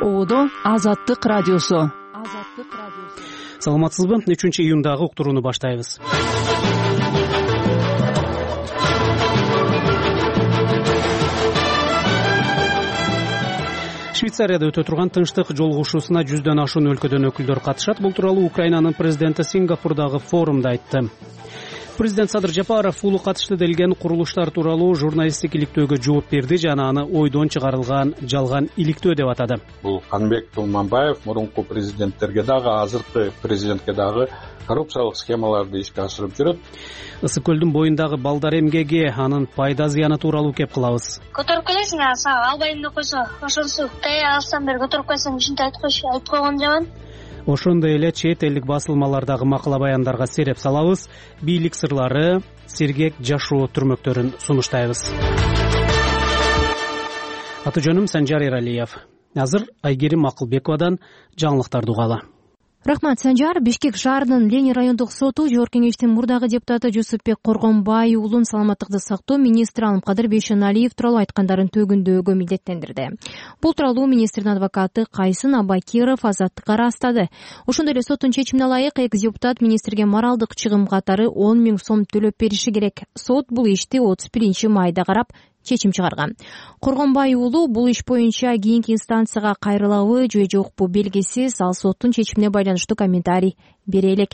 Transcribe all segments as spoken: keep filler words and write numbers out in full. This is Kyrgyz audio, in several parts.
Оодо Азаттык радиосу. Саламатсызбы? үчүнчү июндагы уктурууну баштайбыз. Швейцарияда өтө турган тынчтык жолугушуусуна жүздөн ашуун өлкөдөн өкүлдөр катышат. Бул тууралуу Украинанын президенти Сингапурдагы форумда айтты. Президент Садыр Жапаров улуу катышты делген курулуштар тууралуу журналисттик иликтөөгө жооп берди жана аны ойдон чыгарылган жалган иликтөө деп атады. Бул Канбек Тулманбаев мурунку президенттерге дагы, азыркы президентке дагы коррупциялык схемаларды ишке ашырып жүрөт. Ысык көлдүн боюндагы балдар эмгеги, анын пайда зыяны тууралуу кеп кылабыз. Көтөрүп келесиң, сага албайм деп койсо, ошонсу тая алсам бери көтөрүп койсоң, ушинтип айтып койчу, айтып койгон жаман. Ошондой эле чет элдик басылмалардагы макала баяндарга сереп салабыз. Бийлик сырлары, сергек жашоо түрмөктөрүн сунуштайбыз. Аты жөнүм Санжар Эралиев. Азыр Айгерим Акылбековадан жаңылыктарды угалы. Рахмат, Санжар. Бишкек шаарынын Ленин райондук соту Жогорку Кеңештин мурдагы депутаты Жусупбек Коргонбай уулун саламаттыкты сактоо министри Алымкадыр Бейшеналиев тууралуу айткандарын төгүндөөгө милдеттендирди. Бул тууралуу министрдин адвокаты Кайсын Абакиров Азаттыкка ырастады. Ошондой эле соттун чечимине ылайык экс депутат министрге моралдык чыгым катары он миң сом төлөп бериши керек. Сот бул ишти отуз биринчи майда карап чечим чыгарган. Коргонбай уулу бул иш боюнча кийинки инстанцияга кайрылабы же жокпу белгисиз, ал соттун чечимине байланыштуу комментарий бере элек.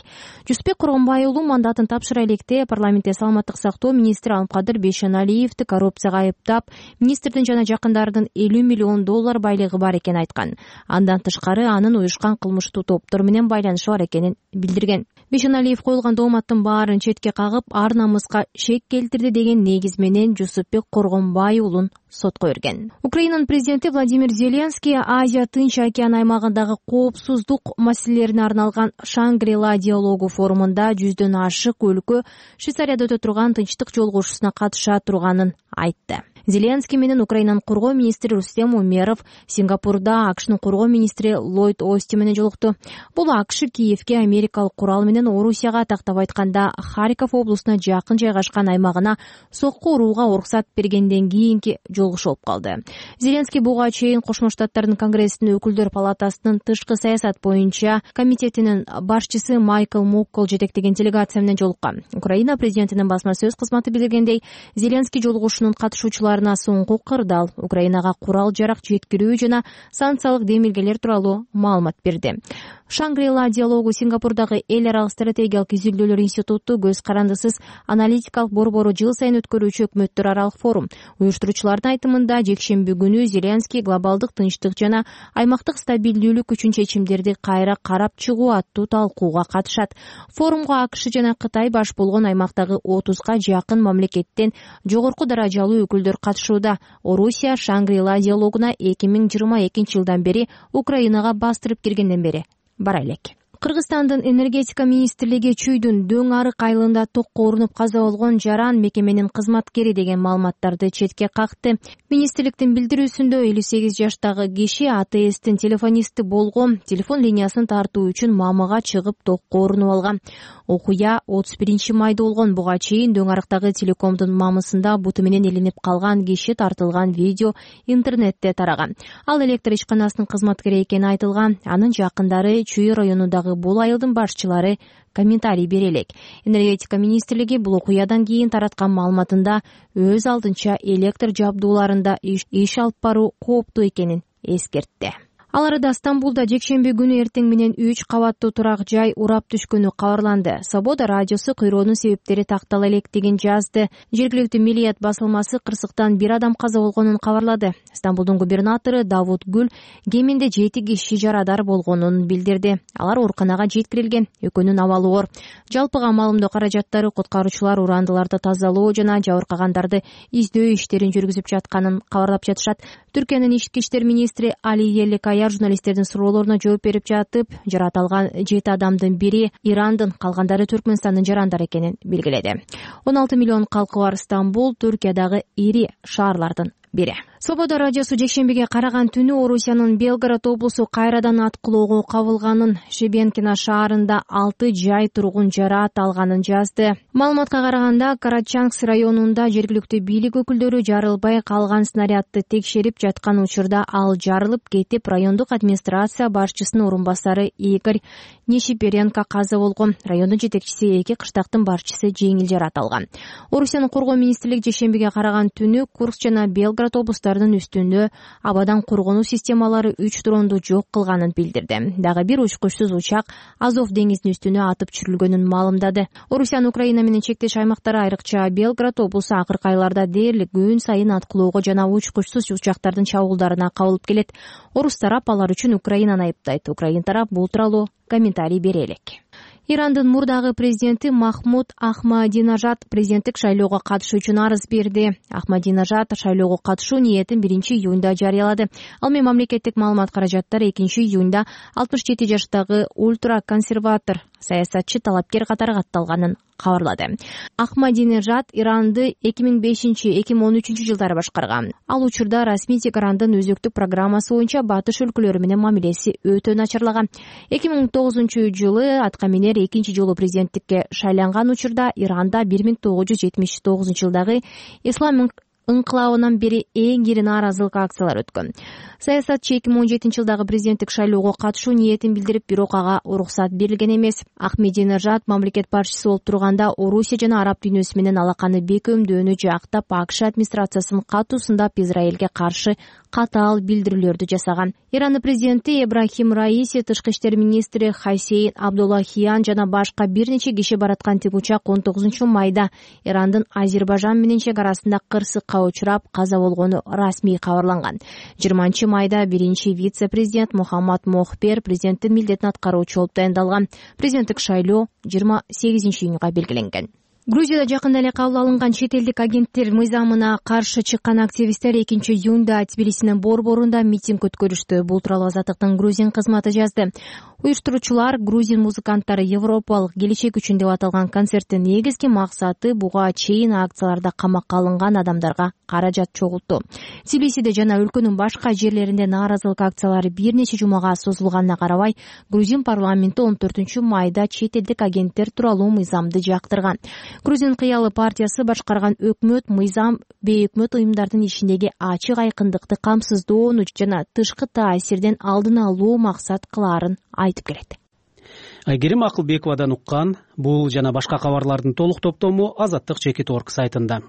Жусупбек Коргонбай уулу мандатын тапшыра электе парламентте саламаттык сактоо министри Алымкадыр Бейшеналиевди коррупцияга айыптап, министрдин жана жакындарынын элүү миллион доллар байлыгы бар экенин айткан. Андан тышкары анын уюшкан кылмыштуу топтор менен байланышы бар экенин билдирген. Бейшеналиев коюлган дооматтын баарын четке кагып, ар намыска шек келтирди деген негиз менен Жусупбек Коргонбай уулун сотко берген. Украинанын президенти Владимир Зеленский Азия Тынч океан аймагындагы коопсуздук маселелерине арналган Шангри-Ла диалогу форумунда жүздөн ашык өлкө Швейцарияда өтө турган тынчтык жолугушуусуна катыша турганын айтты. Зеленский менен Украинанын коргоо министри Рустем Умеров Сингапурда АКШнын коргоо министри Ллойд Остин менен жолукту. Бул АКШ Киевке америкалык курал менен Орусияга тактап айтканда Харьков облусуна жакын жайгашкан аймагына сокку урууга уруксат бергенден кийинки жолугушуу болуп калды. Зеленский буга чейин Кошмо Штаттардын Конгрессинин өкүлдөр палатасынын тышкы саясат боюнча комитетинин башчысы Майкл Моккол жетектеген делегация менен жолуккан. Украина президентинин басма сөз кызматы билдиргендей, Зеленский жолугушуунун катышуучулары соңку кырдаал, Украинага курал жарак жеткирүү жана санкциялык демилгелер тууралуу маалымат берди. Шангри-Ла диалогу Сингапурдагы эл аралык стратегиялык изилдөөлөр институту көз карандысыз аналитикалык борбору жыл сайын өткөрүүчү өкмөттөр аралык форум. Уюштуруучулардын айтымында жекшемби күнү Зеленский глобалдык тынчтык жана аймактык стабилдүүлүк үчүн чечимдерди кайра карап чыгуу аттуу талкууга катышат. Форумга АКШ жана Кытай баш болгон аймактагы отузга жакын мамлекеттен жогорку даражалуу өкүлдөр катышууда. Орусия Шангри-Ла диалогуна эки миң жыйырма экинчи жылдан бери Украинага бастырып киргенден бери бара элек. Кыргызстандын энергетика министрлиги Чүйдүн Дөң арык айылында токко урунуп каза болгон жаран мекеменин кызматкери деген маалыматтарды четке какты. Министрликтин билдирүүсүндө элүү сегиз жаштагы киши АТСтин телефонисти болгон, телефон линиясын тартуу үчүн мамыга чыгып токко урунуп алган. Окуя отуз биринчи майда болгон. Буга чейин Дөң арыктагы телекомдун мамысында буту менен илинип калган киши тартылган видео интернетте тараган. Ал электр ишканасынын кызматкери экени айтылган. Анын жакындары Чүй районундагы бул айылдын башчылары комментарий бере элек. Энергетика министрлиги бул окуядан кийин тараткан маалыматында өз алдынча электр жабдууларында иш алып баруу кооптуу экенин эскертти. Ал арада Стамбулда жекшемби күнү эртең менен үч кабаттуу турак жай урап түшкөнү кабарланды. Свобода радиосу кыйроонун себептери тактала элек деген жазды. Жергиликтүү Милият басылмасы кырсыктан бир адам каза болгонун кабарлады. Стамбулдун губернатору Давут Гүл кеминде жети киши жарадар болгонун билдирди. Алар ооруканага жеткирилген. Экөөнүн абалы оор. Жалпыга маалымдоо каражаттары куткаруучулар урандыларды тазалоо жана жабыркагандарды издөө иштерин жүргүзүп жатканын кабарлап жатышат. Түркиянын ички иштер министри Али Еликаяр журналисттердин суроолоруна жооп берип жатып, жаратылган жети адамдын бири Ирандын, калгандары Түркмөнстандын жарандары экенин белгиледи. он алты миллион калкы бар Стамбул Түркиядагы ири шаарлардын бири. Свобода радиосу жекшембиге караган түнү Орусиянын Белгород облусу кайрадан аткылоого кабылганын, Шебенкино шаарында алты жай тургун жараат алганын жазды. Маалыматка караганда, Карачанкс районунда жергиликтүү бийлик өкүлдөрү жарылбай калган снарядды текшерип жаткан учурда ал жарылып кетип, райондук администрация башчысынын орун басары Игорь Нешиперенко каза болгон. Райондун жетекчиси эки кыштактын башчысы жеңил жараат алган. Орусиянын коргоо министрлиги жекшембиге караган түнү Курск жана Белгород облустарынын үстүндө абадан коргонуу системалары үч дронду жок кылганын билдирди. Дагы бир учкучсуз учак Азов деңизинин үстүнө атып түшүрүлгөнүн маалымдады. Орусиянын Украина менен чектеш аймактары, айрыкча Белгород облусу акыркы айларда дээрлик күн сайын аткылоого жана учкучсуз учактардын чабуулдарына кабылып келет. Орус тарап алар үчүн Украинаны айыптайт. Украин тарап бул тууралуу комментарий бере элек. Ирандын мурдагы президенти Махмуд Ахмадинажад президенттик шайлоого катышуу үчүн арыз берди. Ахмадинажад шайлоого катышуу ниетин биринчи июнда жарыялады. Ал менен мамлекеттик маалымат каражаттары экинчи июнда алтымыш жети жаштагы ультраконсерватор саясатчы талапкер катары катталганын кабарлады. Ахмадинежад Иранды эки миң бешинчи — эки миң он үчүнчү жылдары башкарган. Ал учурда расмий Тегарандын өзөктүк программасы боюнча батыш өлкөлөрү менен мамилеси өтө начарлаган. эки миң тогузунчу жылы атка минер экинчи жолу президенттикке шайланган учурда Иранда бир миң тогуз жүз жетимиш тогузунчу жылдагы ислам ыңкылабынан бери эң ири нааразылык акциялары өткөн. Саясатчы эки миң он жетинчи жылдагы президенттик шайлоого катышуу ниетин билдирип, бирок ага уруксат берилген эмес. Ахмединежад мамлекет башчысы болуп турганда Орусия жана араб дүйнөсү менен алаканы бекемдөөнү жактап, АКШ администрациясын катуу сындап, Израилге каршы катаал билдирүүлөрдү жасаган. Ирандын президенти Ибрахим Раиси, тышкы иштер министри Хасейн Абдуллахиян жана башка бир нече киши бараткан тигучак он тогузунчу майда Ирандын Азербайжан менен чек арасында кырсыкка учурап каза болгону расмий кабарланган. жыйырманчы майда биринчи вице-президент Мухаммад Мохбер президенттин милдетин аткаруучу болуп дайындалган. Президенттик шайлоо жыйырма сегизинчи июнга белгиленген. Грузияда жакында эле кабыл алынган чет элдик агенттер мыйзамына каршы чыккан активисттер экинчи июнда Тбилисинин борборунда митинг өткөрүштү. Бул тууралуу Азаттыктын Грузин кызматы жазды. Уюштуруучулар грузин музыканттары Европалык келечек үчүн деп аталган концерттин негизги максаты буга чейин акцияларда камакка алынган адамдарга каражат чогултту. Тбилисиде жана өлкөнүн башка жерлеринде нааразылык акциялары бир нече жумага созулганына карабай, Грузин парламенти он төртүнчү майда чет элдик агенттер тууралуу мыйзамды жактырган. Грузин кыялы партиясы башкарган өкмөт мыйзам бейөкмөт уюмдардын ишиндеги ачык айкындыкты камсыздоону жана тышкы таасирден алдын алуу максат кылаарын айтып келет. Айгерим Акылбековадан уккан бул жана башка кабарлардын толук топтому Азаттык чекит орг сайтында.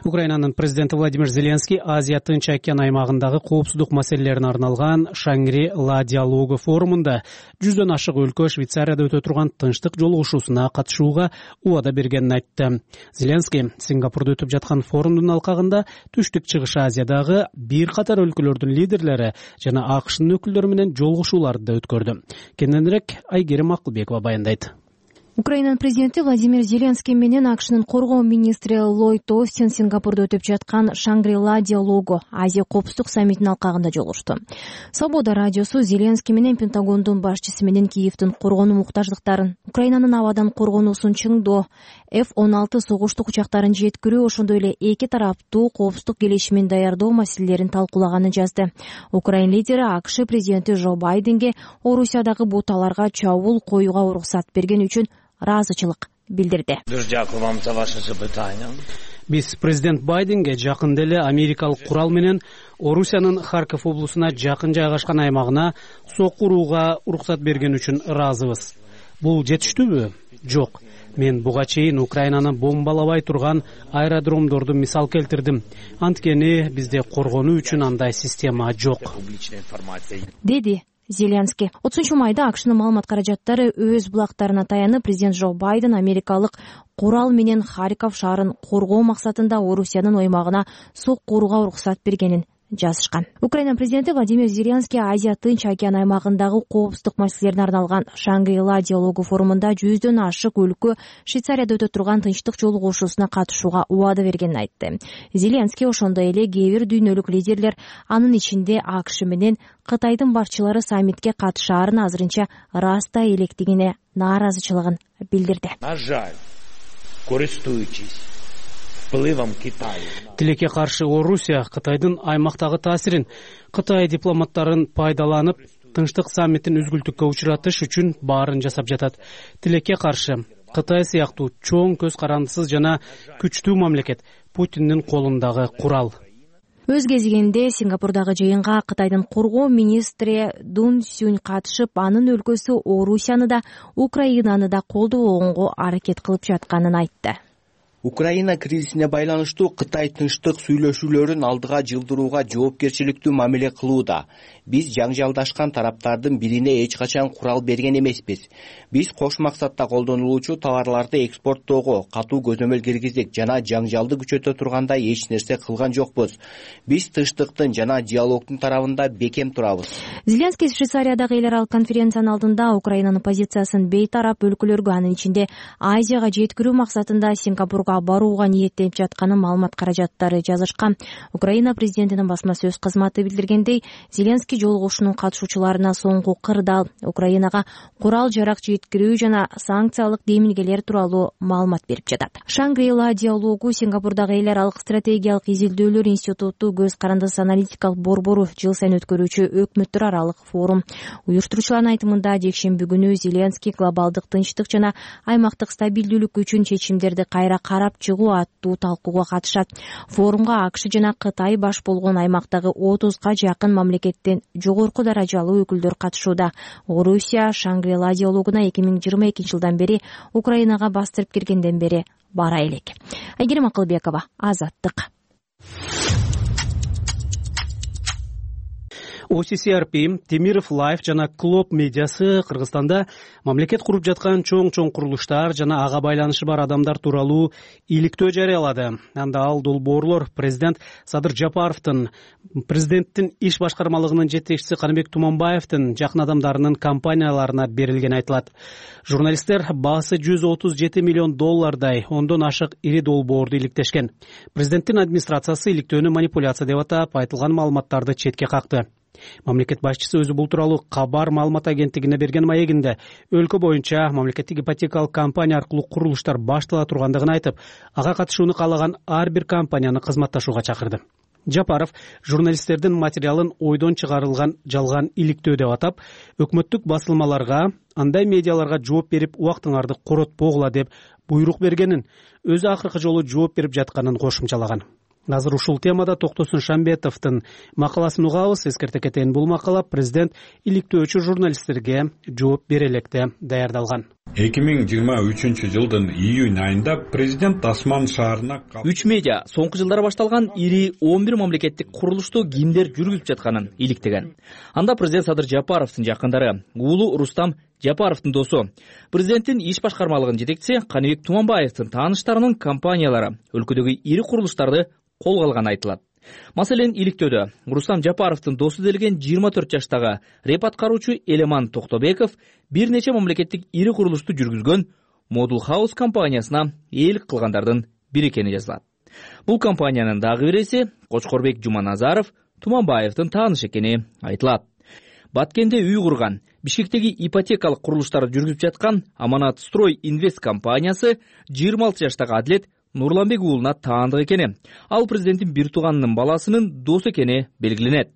Украинанын президенти Владимир Зеленский Азия Тынч океан аймагындагы коопсуздук маселелерине арналган Шангри-Ла диалогу форумунда жүздөн ашык өлкө Швейцарияда өтө турган тынчтык жолугушуусуна катышууга убада бергенин айтты. Зеленский Сингапурда өтүп жаткан форумдун алкагында Түштүк Чыгыш Азиядагы бир катар өлкөлөрдүн лидерлери жана АКШнын өкүлдөрү менен жолугушууларды да өткөрдү. Кененирээк Айгерим Акылбекова баяндайт. Украинанын президенти Владимир Зеленский менен АКШнын коргоо министри Ллойд Остин Сингапурда өтүп жаткан Шангри-Ла диалогу Азия коопсуздук саммитинин алкагында жолугушту. Свобода радиосу Зеленский менен Пентагондун башчысы менен Киевдин коргонуу муктаждыктарын, Украинанын абадан коргонуусун чыңдоо, эф он алты согуштук учактарын жеткирүү, ошондой эле эки тараптуу коопсуздук келишимин даярдоо маселелерин талкуулаганын жазды. Украин лидери АКШ президенти Жо Байденге Орусиядагы буталарга чабуул коюуга уруксат берген үчүн ыраазычылык билдирди. Биз президент Байденге жакында эле америкалык курал менен Орусиянын Харьков облусуна жакын жайгашкан аймагына сокку урууга уруксат берген үчүн ыраазыбыз. Бул жетиштүүбү? Жок. Мен буга чейин Украинаны бомбалабай турган аэродромдорду мисал келтирдим. Анткени бизде коргонуу үчүн андай система жок, деди Зеленский. отузунчу майда АКШнын маалымат каражаттары өз булактарына таянып, президент Жо Байден америкалык курал менен Харьков шаарын коргоо максатында Орусиянын аймагына сокку урууга уруксат бергенин жазышкан. Украина президенти Владимир Зеленский Азия Тынч океан аймагындагы коопсуздук маселелерине арналган Шангри-Ла диалогу форумунда жүздөн ашык өлкө Швейцарияда өтө турган тынчтык жолугушуусуна катышууга убада бергенин айтты. Зеленский ошондой эле кээ бир дүйнөлүк лидерлер, анын ичинде АКШ менен Кытайдын башчылары саммитке катышаарын азырынча ырастай электигине нааразычылыгын билдирди. На жаль, користуючись Тилекке каршы Орусия Кытайдын аймактагы таасирин Кытай дипломаттарын пайдаланып тынчтык саммитин үзгүлтүккө учуратыш үчүн баарын жасап жатат. Тилекке каршы Кытай сыяктуу чоң көз карандысыз жана күчтүү мамлекет Путиндин колундагы курал. Өз кезегинде Сингапурдагы жыйынга Кытайдын коргоо министри Дун Сюнь катышып, анын өлкөсү Орусияны да, Украинаны да колдобогонго аракет кылып жатканын айтты. Украина кризисине байланыштуу Кытай тынчтык сүйлөшүүлөрүн алдыга жылдырууга жоопкерчиликтүү мамиле кылууда. Биз жаңжалдашкан тараптардын бирине эч качан курал берген эмеспиз. Биз кош максатта колдонулуучу товарларды экспорттоого катуу көзөмөл киргиздик жана жаңжалды күчөтө тургандай эч нерсе кылган жокпуз. Биз тынчтыктын жана диалогдун тарабында бекем турабыз. Зеленский Швейцариядагы эл аралык конференциянын алдында Украинанын позициясын бейтарап өлкөлөргө, анын ичинде Азияга жеткирүү максатында Сингапурга барууга ниеттенип жатканын маалымат каражаттары жазышкан. Украина президентинин басма сөз кызматы билдиргендей, Зеленский жолугушуунун катышуучуларына соңку кырдаал, Украинага курал-жарак жеткирүү жана санкциялык демилгелер тууралуу маалымат берип жатат. Шангри-Ла диалогу Сингапурдагы эл аралык стратегиялык изилдөөлөр институту көз карандысыз аналитикалык борбору жыл сайын өткөрүүчү өкмөттөр аралык форум. Уюштуруучулардын айтымында жекшемби күнү Зеленский глобалдык тынчтык жана аймактык стабилдүүлүк үчүн чечимдерди кайра карап чыгуу аттуу талкууга катышат. Форумга АКШ жана Кытай баш болгон аймактагы отузга жакын мамлекеттен жогорку даражалуу өкүлдөр катышууда. Орусия Шангри-Ла диалогуна эки миң жыйырма экинчи жылдан бери Украинага бастырып киргенден бери бара элек. Айгерим Акылбекова, Азаттык. О Си Си Ар Пи, Темиров Лайф жана Клоп медиасы Кыргызстанда мамлекет куруп жаткан чоң-чоң курулуштар жана ага байланышы бар адамдар тууралуу иликтөө жарыялады. Анда ал долбоорлор президент Садыр Жапаровдун, президенттин иш башкармалыгынын жетекчиси Каныбек Туманбаевдин жакын адамдарынын компанияларына берилгени айтылат. Журналисттер баасы жүз отуз жети миллион доллардай ондон ашык ири долбоорду иликтешкен. Президенттин администрациясы иликтөөнү манипуляция деп атап, айтылган маалыматтарды четке какты. Мамлекет башчысы өзү бул тууралуу Кабар маалымат агенттигине берген маегинде өлкө боюнча мамлекеттик ипотекалык компания аркылуу курулуштар баштала тургандыгын айтып, ага катышууну каалаган ар бир компанияны кызматташууга чакырды. Жапаров журналисттердин материалын ойдон чыгарылган жалган иликтөө деп атап, өкмөттүк басылмаларга, андай медиаларга жооп берип убактыңарды коротпогула деп буйрук бергенин, өзү акыркы жолу жооп берип жатканын кошумчалаган. Азыр ушул темада Токтосун Шамбетовдун макаласын угабыз. Эскерте кетейин, бул макала президент иликтөөчү журналисттерге жооп бере электе даярдалган. эки миң жыйырма үчүнчү жылдын июнь айында президент Асман шаарына үч медиа соңку жылдары башталган ири он бир мамлекеттик курулушту кимдер жүргүзүп жатканын иликтеген. Анда президент Садыр Жапаровдун жакындары, уулу Рустам Жапаровдун досу, президенттин иш башкармалыгынын жетекчиси Каныбек Туманбаевдин тааныштарынын компаниялары өлкөдөгү ири курулуштарды колго алганы айтылат. Маселен, иликтөөдө Рустам Жапаровдун досу делген жыйырма төрт жаштагы реп аткаруучу Элеман Токтобеков бир нече мамлекеттик ири курулушту жүргүзгөн Model House компаниясына ээлик кылгандардын бири экени жазылат. Бул компаниянын дагы бир эси Кочкорбек Жуманазаров Туманбаевдин таанышы экени айтылат. Баткенде үй курган, Бишкектеги ипотекалык курулуштарды жүргүзүп жаткан Аманат Строй Инвест компаниясы жыйырма алты жаштагы Адлет Нурланбек уулуна таандык экени, ал президенттин бир тууганынын баласынын досу экени белгиленет.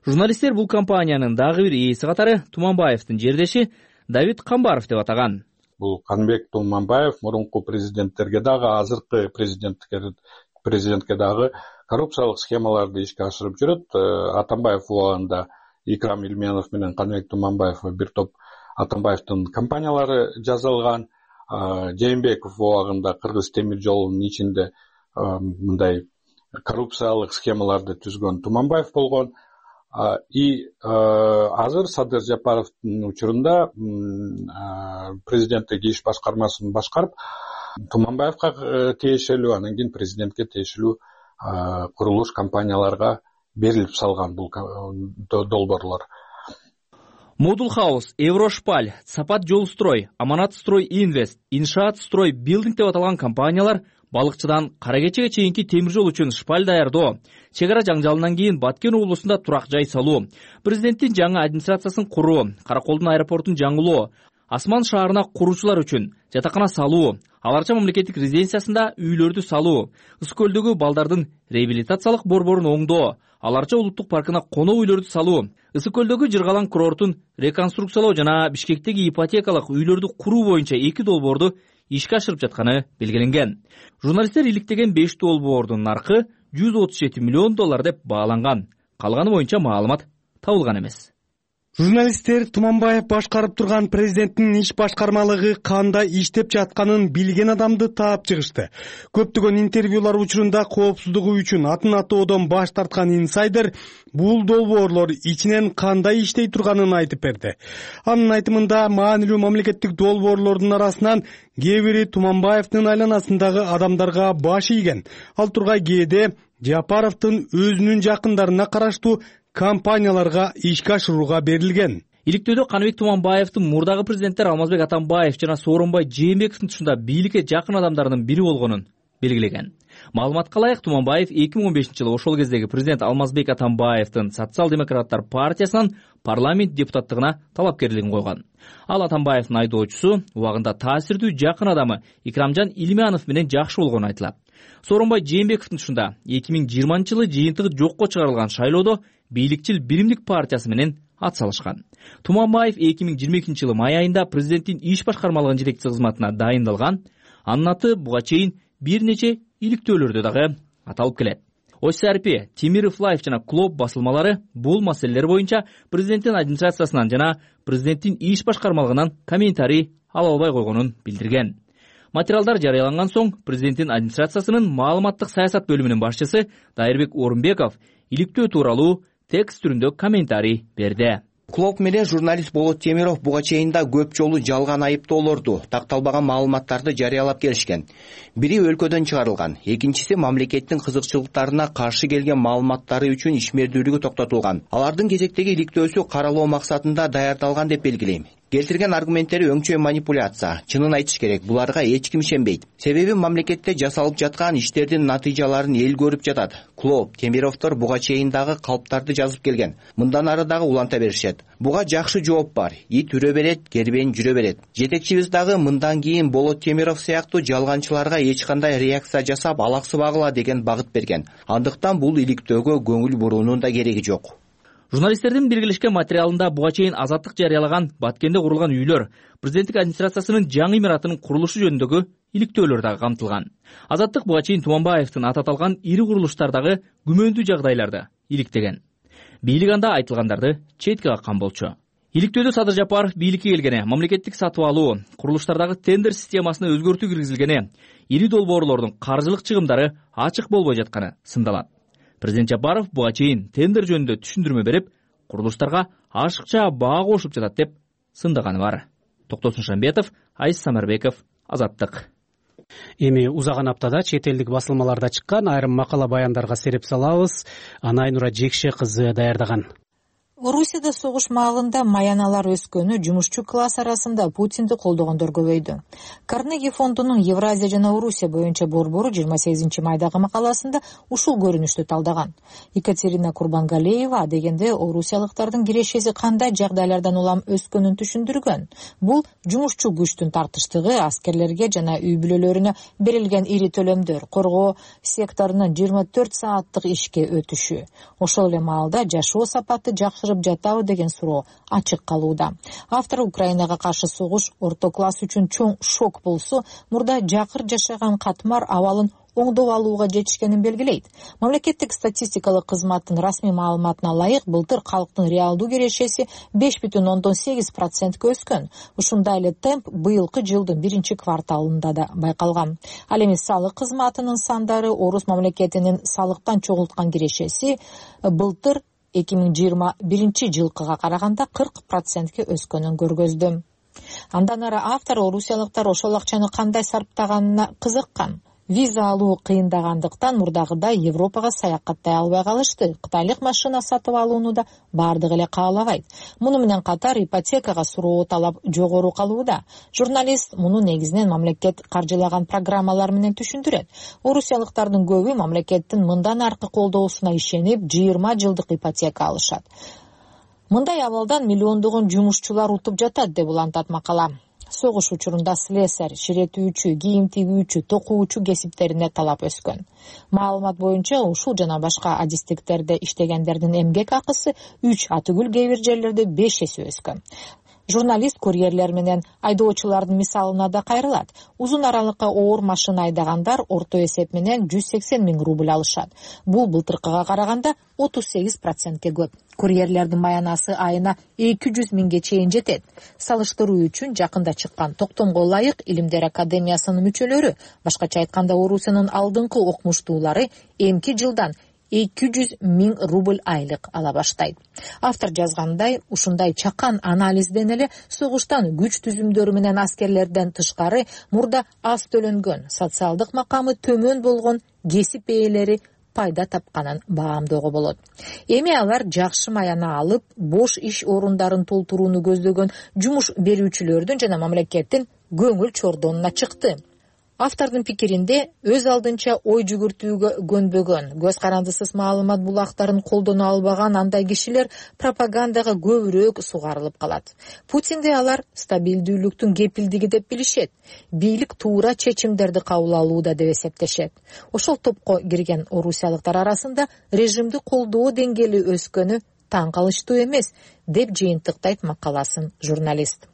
Журналисттер бул компаниянын дагы бир ээси катары Туманбаевдин жердеши Давид Камбаров деп атаган. Бул Каныбек Туманбаев мурунку президенттерге дагы, азыркы президентке президентке дагы коррупциялык схемаларды ишке ашырып жүрөт. Атамбаев убагында Икрам Илменов менен Каныбек Туманбаев бир топ Атамбаевдин компаниялары жазылган. Жээнбеков убагында Кыргыз темир жолунун ичинде мындай коррупциялык схемаларды түзгөн Туманбаев болгон. И азыр Садыр Жапаровдун учурунда президенттик иш башкармасын башкарып, Туманбаевга тиешелүү, анан кийин президентке тиешелүү курулуш компанияларга берилип салган бул долбоорлор. Model House, Еврошпаль, Сапат Жолстрой, Аманат Строй Инвест, Иншаат Строй Билдинг деп аталган компаниялар балыкчыдан Каракечеге чейинки темир жол үчүн шпаль даярдоо, чек ара жаңжалынан кийин Баткен облусунда турак жай салуу, президенттин жаңы администрациясын куруу, Караколдун аэропортун жаңылоо, Асман шаарына куруучулар үчүн жатакана салуу, аларча мамлекеттик резиденциясында үйлөрдү салуу, Ысык көлдөгү балдардын реабилитациялык борборун оңдоо, аларча улуттук паркына конок үйлөрдү салуу, Ысык көлдөгү Жыргалаң курортун реконструкциялоо жана Бишкектеги ипотекалык үйлөрдү куруу боюнча эки долбоорду ишке ашырып жатканы белгиленген. Журналисттер иликтеген беш долбоордун наркы жүз отуз жети миллион доллар деп бааланган. Калганы боюнча маалымат табылган эмес. Журналисттер Туманбаев башкарып турган президенттин иш башкармалыгы кандай иштеп жатканын билген адамды таап чыгышты. Көптөгөн интервьюлар учурунда коопсуздугу үчүн атын атоодон баш тарткан инсайдер бул долбоорлор ичинен кандай иштей турганын айтып берди. Анын айтымында маанилүү мамлекеттик долбоорлордун арасынан кээ бири Туманбаевдин айланасындагы адамдарга баш ийген. Ал тургай кээде Жапаровдун өзүнүн жакындарына караштуу компанияларга ишке ашырууга берилген. Иликтөөдө Каныбек Туманбаевдин мурдагы президенттер Алмазбек Атамбаев жана Сооронбай Жээнбековдун тушунда бийликке жакын адамдарынын бири болгонун белгилеген. Маалыматка ылайык, Туманбаев эки миң он бешинчи жылы ошол кездеги президент Алмазбек Атамбаевдин Социал-демократтар партиясынан парламент депутаттыгына талапкерлигин койгон. Ал Атамбаевдин айдоочусу, убагында таасирдүү жакын адамы Икрамжан Илмянов менен жакшы болгону айтылат. Сооронбай Жээнбековдун тушунда эки миң жыйырманчы жылы жыйынтыгы жокко чыгарылган шайлоодо бийликчил Биримдик партиясы менен ат салышкан. Туманбаев эки миң жыйырма экинчи жылы май айында президенттин иш башкармалыгынын жетекчиси кызматына дайындалган. Анын аты буга чейин бир нече иликтөөлөрдө дагы аталып келет. Осарпи, Темиров Лайф жана Клоп басылмалары бул маселелер боюнча президенттин администрациясынан жана президенттин иш башкармалыгынан комментарий ала албай койгонун билдирген. Материалдар жарыяланган соң президенттин администрациясынын маалыматтык саясат бөлүмүнүн башчысы Дайырбек Орунбеков иликтөө тууралуу текст түрүндө комментарий берди. Клоп менен журналист Болот Темиров буга чейин да көп жолу жалган айыптоолорду, такталбаган маалыматтарды жарыялап келишкен. Бири өлкөдөн чыгарылган, экинчиси мамлекеттин кызыкчылыктарына каршы келген маалыматтары үчүн ишмердүүлүгү токтотулган. Алардын кезектеги иликтөөсү каралоо максатында даярдалган деп белгилейм. Келтирген аргументтери өңчөй манипуляция. Чынын айтыш керек, буларга эч ким ишенбейт. Себеби мамлекетте жасалып жаткан иштердин натыйжаларын эл көрүп жатат. Клоп, Темировдор буга чейин дагы калптарды жазып келген. Мындан ары дагы уланта беришет. Буга жакшы жооп бар. Ит үрө берет, кербен жүрө берет. Жетекчибиз дагы мындан кийин Болот Темиров сыяктуу жалганчыларга эч кандай реакция жасап алаксыбагыла деген багыт берген. Андыктан бул иликтөөгө көңүл буруунун да кереги жок. Журналисттердин биргелешкен материалында буга чейин Азаттык жарыялаган Баткенде курулган үйлөр, президенттик администрациясынын жаңы имаратынын курулушу жөнүндөгү иликтөөлөр дагы камтылган. Азаттык буга чейин Туманбаевдин аты аталган ири курулуштардагы күмөндүү жагдайларды иликтеген. Бийлик анда айтылгандарды четке каккан болчу. Иликтөөдө Садыр Жапаров бийликке келгене, мамлекеттик сатып алуу, курулуштардагы тендер системасына өзгөртүү киргизилгене, ири долбоорлордун каржылык чыгымдары ачык болбой жатканы сындалат. Президент Жапаров буга чейин тендер жөнүндө түшүндүрмө берип, курулуштарга ашыкча баа кошуп жатат деп сындаганы бар. Токтосун Шамбетов, Айс Самарбеков, Азаттык. Эми узаган аптада чет элдик басылмаларда чыккан айрым макала баяндарга сереп салабыз. Анайнура Жекше кызы даярдаган. Орусияда согуш маалында маяналар өскөнү жумушчу класс арасында Путинди колдогондор көбөйдү. Карнеги фондунун Евразия жана Орусия боюнча борбору жыйырма сегизинчи майдагы макаласында ушул көрүнүштү талдаган. Екатерина Курбангалеева дегенде орусиялыктардын кирешеси кандай жагдайлардан улам өскөнүн түшүндүргөн. Бул жумушчу күчтүн тартыштыгы, аскерлерге жана үй бүлөлөрүнө берилген ири төлөмдөр, коргоо секторунун жыйырма төрт сааттык ишке өтүшү. Ошол эле маалда жашоо сапаты жакшырып жатабы деген суроо ачык калууда. Автор Украинага каршы согуш орто класс үчүн чоң шок болсо, мурда жакыр жашаган катмар абалын оңдоп алууга жетишкенин белгилейт. Мамлекеттик статистикалык кызматтын расмий маалыматына ылайык, былтыр калктын реалдуу кирешеси беш бүтүн ондон сегиз процентке өскөн. Ушундай эле темп быйылкы жылдын биринчи кварталында да байкалган. Ал эми салык кызматынын сандары Орус мамлекетинин салыктан чогулткан кирешеси былтыр эки миң жыйырма биринчи жылкыга караганда кырк процентке өскөнүн көргөздү. Андан ары автор орусиялыктар ошол акчаны кандай сарптаганына кызыккан. Виза алуу кыйындагандыктан мурдагыдай Европага саякаттай албай калышты. Кытайлык машина сатып алууну да бардыгы эле каалабайт. Муну менен катар ипотекага суроо талап жогору калууда. Журналист муну негизинен мамлекет каржылаган программалар менен түшүндүрөт. Орусиялыктардын көбү мамлекеттин мындан аркы колдоосуна ишенип жыйырма жылдык ипотека алышат. Мындай абалдан миллиондогон жумушчулар утуп жатат деп улантат макала. согуш учурунда слесарь, ширетүүчү, кийим тигүүчү, токуучу кесиптерине талап өскөн. Маалымат боюнча ушул жана башка адистиктерде иштегендердин эмгек акысы үч, атүгүл кээ бир жерлерде беш эсе өскөн. Журналист курьерлер менен айдоочулардын мисалына да кайрылат. Узун аралыкка оор машина айдагандар орто эсеп менен жүз сексен миң рубль алышат. Бул былтыркыга караганда отуз сегиз процентке көп. Курьерлердин маянасы айына эки жүз миңге чейин жетет. Салыштыруу үчүн жакында чыккан токтомго ылайык Илимдер академиясынын мүчөлөрү, башкача айтканда Орусиянын алдыңкы окумуштуулары эмки жылдан эки жүз миң рубль айлык ала баштайт. Автор жазгандай, ушундай чакан анализден эле согуштан күч түзүмдөрү менен аскерлерден тышкары мурда аз төлөнгөн, социалдык макамы төмөн болгон кесип ээлери пайда тапканын баамдоого болот. Эми алар жакшы маяна алып, бош иш орундарын толтурууну көздөгөн жумуш берүүчүлөрдүн жана мамлекеттин көңүл чордонуна чыкты. Автордун пикиринде, өз алдынча ой жүгүртүүгө көнбөгөн, көз карандысыз маалымат булактарын колдоно албаган андай кишилер пропагандага көбүрөөк сугарылып калат. Путинде алар стабилдүүлүктүн кепилдиги деп билишет. Бийлик туура чечимдерди кабыл алууда деп эсептешет. Ошол топко кирген орусиялыктар арасында режимди колдоо деңгээли өскөнү таң калыштуу эмес, деп жыйынтыктайт макаласын журналист.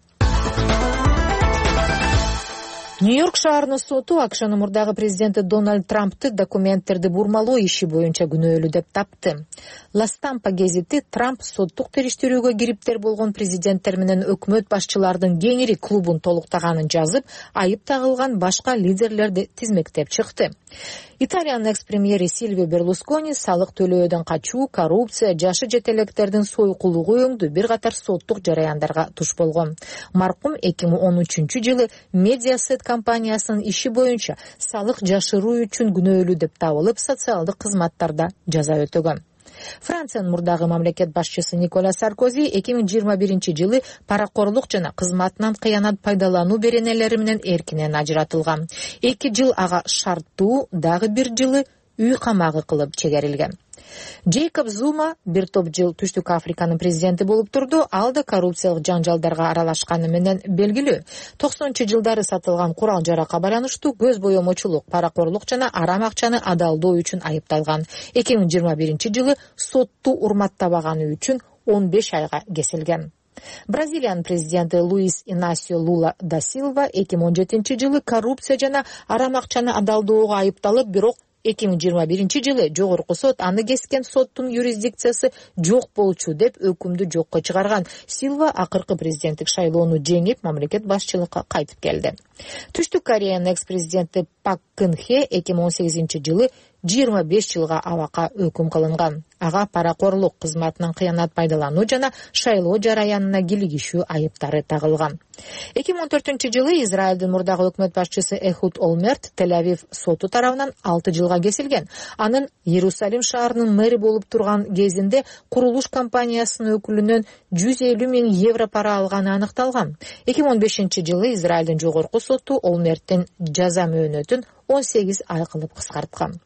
Нью-Йорк шаарынын соту АКШнын мурдагы президенти Дональд Трампты документтерди бурмалоо иши боюнча күнөөлүү деп тапты. La Stampa гезити Трамп соттук териштирүүгө кириптер болгон президенттер менен өкмөт башчылардын кеңири клубун толуктаганын жазып, айып тагылган башка лидерлерди тизмектеп чыкты. Италиянын экс-премьери Сильвио Берлускони салык төлөөдөн качуу, коррупция, жашы жете электердин сойкулугу өңдүү бир катар соттук жараяндарга туш болгон. Маркум эки миң он үчүнчү жылы Mediaset компаниясынын иши боюнча салык жашыруу үчүн күнөөлүү деп табылып, социалдык кызматтарда жаза өтөгөн. Франциянын мурдагы мамлекет башчысы Николя Саркози эки миң жыйырма биринчи жылы паракорлук жана кызматынан кыянат пайдалануу беренелери менен эркинен ажыратылган. эки жыл ага шарттуу, дагы бир жылы үй камагы кылып чегерилген. Джейкоб Зума бир топ жыл Түштүк Африканын президенти болуп турду, ал да коррупциялык жанжалдарга аралашканы менен белгилүү. токсонунчу жылдары сатылган курал-жаракка байланыштуу көз боемочулук, паракорлук жана арам акчаны адалдоо үчүн айыпталган. эки миң жыйырма биринчи жылы сотту урматтабаганы үчүн он беш айга кесилген. Бразилиянын президенти Луис Инасио Лула да Силва эки миң он жетинчи жылы коррупция жана арам акчаны адалдоого айыпталып, бирок эки миң жыйырма биринчи жылы жогорку сот аны кескен соттун юрисдикциясы жок болчу деп өкүмдү жокко чыгарган. Силва акыркы президенттик шайлоону жеңип, мамлекет башчылыкка кайтып келди. Түштүк Кореянын экс-президенти Пак Кын Хе эки миң он сегизинчи жылы жыйырма беш жылга абакка өкүм кылынган. Ага паракорлук, кызматынан кыянат пайдалануу жана шайлоо жараянына килигишүү айыптары тагылган. эки миң он төртүнчү жылы Израилдин мурдагы өкмөт башчысы Эхуд Олмерт Тель-Авив соту тарабынан алты жылга кесилген. Анын Иерусалим шаарынын мэри болуп турган кезинде курулуш компаниясынын өкүлүнөн жүз элүү миң евро пара алганы аныкталган. эки миң он бешинчи жылы Израилдин жогорку соту Олмерттин жаза мөөнөтүн он сегиз ай кылып кыскарткан.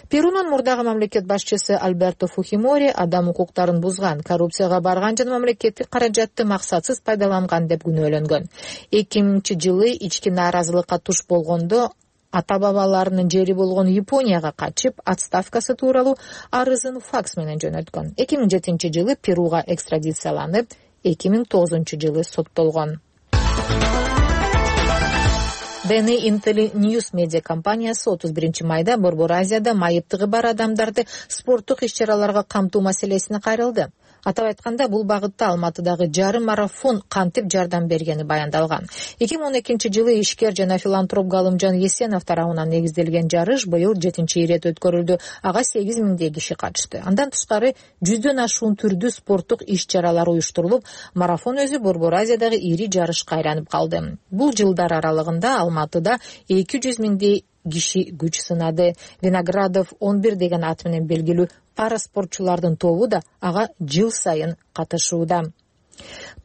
Перунун мурдагы мамлекет башчысы Альберто Фухимори адам укуктарын бузган, коррупцияга барган жана мамлекеттик каражатты максатсыз пайдаланган деп күнөөлөнгөн. эки миңинчи жылы ички нааразылыкка туш болгондо ата-бабаларынын жери болгон Японияга качып, отставкасы тууралуу арызын факс менен жөнөткөн. эки миң жетинчи жылы Перуга экстрадицияланып, эки миң тогузунчу жылы соттолгон. ди эн эй Intel News медиа компаниясы отуз биринчи майда Борбор Азияда майыптыгы бар адамдарды спорттук иш-чараларга камтуу маселесине кайрылды. Атап айтканда, бул багытта Алматыдагы жарым марафон кантип жардам бергени баяндалган. эки миң он экинчи жылы ишкер жана филантроп Галымжан Есенов тарабынан негизделген жарыш быйыл жетинчи ирет өткөрүлдү. Ага сегиз миңдей киши катышты. Андан тышкары жүздөн ашуун түрдүү спорттук иш-чаралар уюштурулуп, марафон өзү Борбор Азиядагы ири жарышка айланып калды. Бул жылдар аралыгында Алматыда эки жүз миңдей киши күч сынады. Виноградов он бир деген ат менен белгилүү пара спортчулардын тобу да ага жыл сайын катышууда.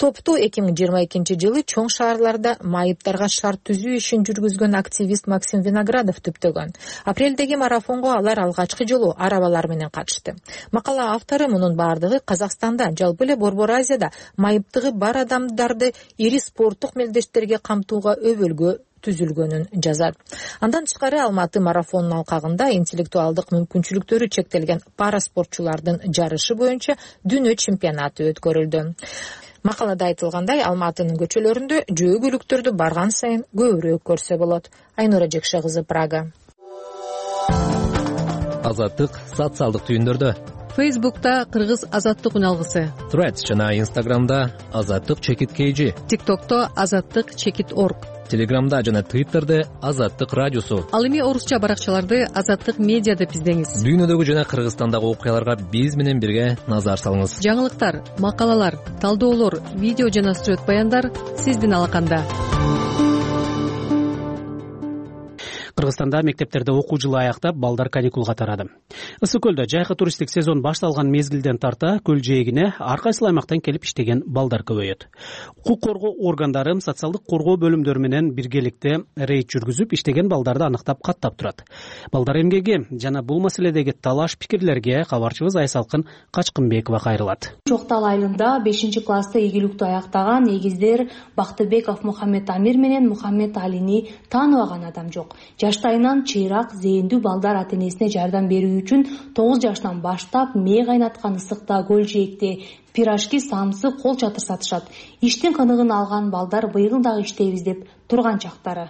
топту эки миң жыйырма экинчи жылы чоң шаарларда майыптарга шарт түзүү ишин жүргүзгөн активист Максим Виноградов түптөгөн. Апрелдеги марафонго алар алгачкы жолу арабалар менен катышты. Макала автору мунун баардыгы Казакстанда, жалпы эле Борбор Азияда майыптыгы бар адамдарды ири спорттук мелдештерге камтууга өбөлгө түзүлгөнүн жазат. Андан тышкары Алматы марафонунун алкагында интеллектуалдык мүмкүнчүлүктөрү чектелген параспортчулардын жарышы боюнча дүйнө чемпионаты өткөрүлдү. Макалада айтылгандай, Алматынын көчөлөрүндө жөө көлүктөрдү барган сайын көбүрөөк көрсө болот. Айнура Жекше кызы, Прага. Азаттык социалдык түйүндөрдө. Фейсбукта Кыргыз азаттык үналгысы. Threads жана Инстаграмда азаттык чекит kg. ТикТокто азаттык чекит орг. Телеграмда жана Твиттерде азаттык радиосу. Ал эми орусча баракчаларды азаттык медиа деп издеңиз. Дүйнөдөгү жана Кыргызстандагы окуяларга биз менен бирге назар салыңыз. Жаңылыктар, макалалар, талдоолор, видео жана сюжет баяндар сиздин алаканда. Кыргызстанда мектептерде окуу жылы аяктап, балдар каникулга тарады. Ысык көлдө жайкы туристтик сезон башталган мезгилден тарта көл жээгине ар кайсы аймактан келип иштеген балдар көбөйөт. Укук коргоо органдары социалдык коргоо бөлүмдөрү менен биргеликте рейд жүргүзүп, иштеген балдарды аныктап, каттап турат. Балдар эмгеги жана бул маселедеги талаш пикирлерге кабарчыбыз Айсалкын Качкынбекова кайрылат. Жоктал айылында бешинчи класста ийгиликтүү аяктаган эгиздер Бактыбеков Мухаммед Амир менен Мухаммед Алини тааныбаган адам жок. Жаштайынан чыйрак, зээндүү балдар ата-энесине жардам берүү үчүн тогуз жаштан баштап мээ кайнаткан ысыкта, көл жээкте пирожки, самсы, кол чатыр сатышат. Иштин кыныгын алган балдар быйыл дагы иштейбиз деп турган чактары.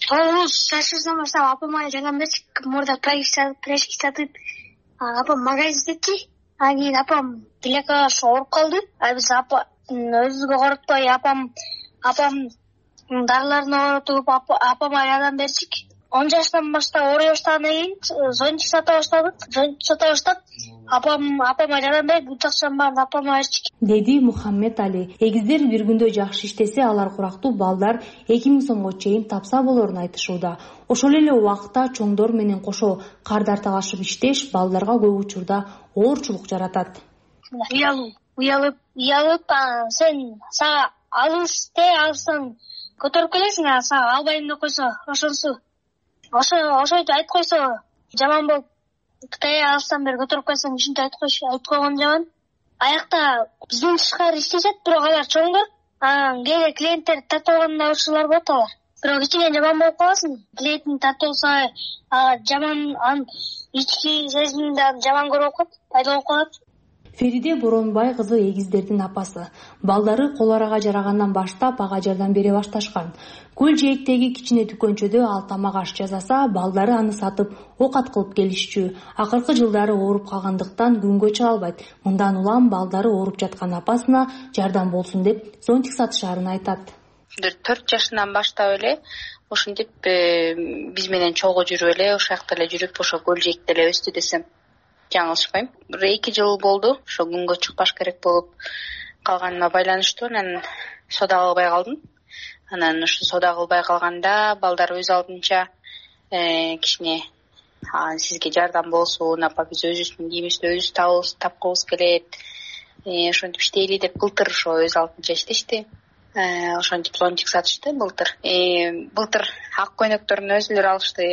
тогуз жашынан баштап апама жардам берчик, мурда пирожки сатып, апам магазин иштетчи. Анан кийин апам тилекка ооруп калды. А биз апа өзүбүзгө коротпой апам апам дарыларын оорутуп апама жардам берчик. он жаштан баштап ооруй баштагандан кийин зонтик сата баштадык. Зонтик сата баштап апам апама жардам берип, бут акчанын баарын апама берчик, деди Мухаммед Али. Эгиздер бир күндө жакшы иштесе, алар курактуу балдар эки миң сомго чейин тапса болорун айтышууда. Ошол эле убакта чоңдор менен кошо кардар талашып иштеш балдарга көп учурда оорчулук жаратат. Уялып, уялып, уялып, сен сага алыс те алсаң көтөрүп келесиң, а сага албайм деп койсо, ошонсу Ошо ошойду айтып койсо жаман болуп, Кытайга алсам бери көтөрүп койсоң, ушинтип айтып койсо, айтып койгон жаман. Аякта бизден тышкары иштешет, бирок алар чоңдор. Анан кээде клиенттер тартып алганда ушулар болот алар. Бирок кичине жаман болуп каласың. Клиенттин тартып алса, жаман ан ички сезимди жаман көрүп калат, пайда болуп калат. Фериде Боронбай кызы эгиздердин апасы. Балдары кол арага жарагандан баштап ага жардам бере башташкан. Көл жээктеги кичине дүкөнчөдө ал тамак аш жасаса, балдары аны сатып окат кылып келишчү. Акыркы жылдары ооруп калгандыктан күнгө чыга албайт. Мындан улам балдары ооруп жаткан апасына жардам болсун деп зонтик сатышаарын айтат. төрт жашынан баштап эле ошентип биз менен чогуу жүрүп эле, ошол жакта эле жүрүп, ошо көл жээкте эле өстү десем жаңылышпайм. Бир эки жыл болду, ошо күнгө чыкпаш керек болуп калганыма байланыштуу, анан сода кылбай калдым. Анан ушу сода кылбай калганда балдар өз алдынча кичине сизге жардам болсун, апа биз өзүбүздүн кийимибизди өзүбүз табыбыз тапкыбыз келет, ошентип иштейли деп былтыр ошо өз алдынча иштешти. Ошентип зонтик сатышты былтыр. Былтыр ак көйнөктөрүн өзүлөр алышты,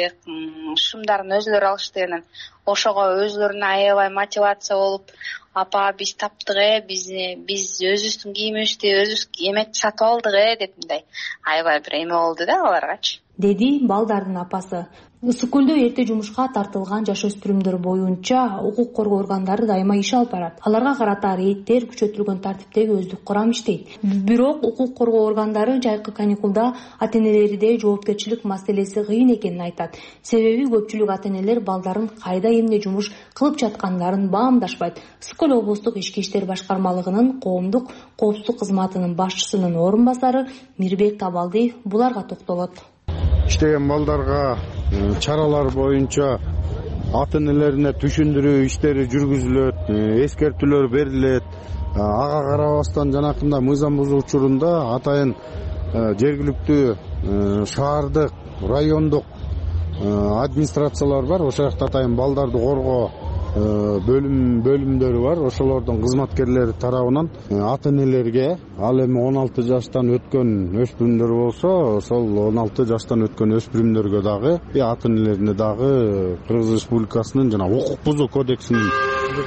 шымдарын өзүлөр алышты. Анан ошого өзүлөрүнө аябай мотивация болуп, апа биз таптык э, биз биз өзүбүздүн кийимибизди өзүбүз эмек сатып алдык э деп мындай аябай бир эме болду да аларгачы, деди балдардын апасы. Ысык көлдө эрте жумушка тартылган жаш өспүрүмдөр боюнча укук коргоо органдары дайыма иш алып барат. Аларга карата рейдтер күчөтүлгөн тартиптеги өздүк курам иштейт. Бирок укук коргоо органдары жайкы каникулда ата-энелерде жоопкерчилик маселеси кыйын экенин айтат. Себеби көпчүлүк ата-энелер балдарын кайда эмне жумуш кылып жаткандарын баамдашпайт. Ысык көл облустук ички иштер башкармалыгынын коомдук коопсуздук кызматынын башчысынын орун басары Мирбек Табалдиев буларга токтолот. Иштеген балдарга чаралар боюнча ата-энелерине түшүндүрүү иштери жүргүзүлөт, эскертүүлөр берилет. Ага карабастан жанакында мыйзам бузуу учурунда атайын жергиликтүү шаардык, райондук администрациялар бар. Ошол жакта атайын балдарды коргоо бөлүм бөлүмдөрү бар. Ошолордун кызматкерлери тарабынан ата энелерге ал эми он алты жаштан өткөн өспүрүмдөр болсо, ошол он алты жаштан өткөн өспүрүмдөргө дагы ата энелерине дагы Кыргыз Республикасынын жана укук бузуу кодексинин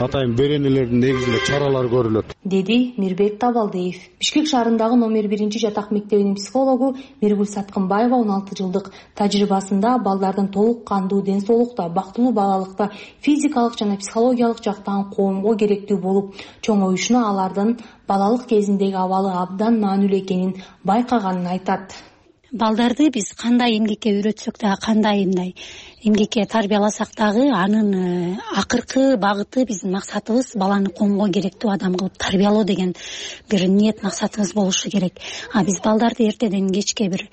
атайын беренелеринин негизинде чаралар көрүлөт, деди Мирбек Табалдиев. Бишкек шаарындагы номер биринчи жатак мектебинин психологу Миргүл Саткынбаева он алты жылдык тажрыйбасында балдардын толук кандуу ден соолукта, бактылуу балалыкта физикалык жана психологиялык жактан коомго керектүү болуп чоңоюшуна алардын балалык кезиндеги абалы абдан маанилүү экенин байкаганын айтат. Балдарды биз кандай эмгекке үйрөтсөк дагы, кандай мындай эмгекке тарбияласак дагы, анын акыркы багыты биздин максатыбыз баланы коомго керектүү адам кылып тарбиялоо деген бир ниет максатыбыз болушу керек. А биз балдарды эртеден кечке бир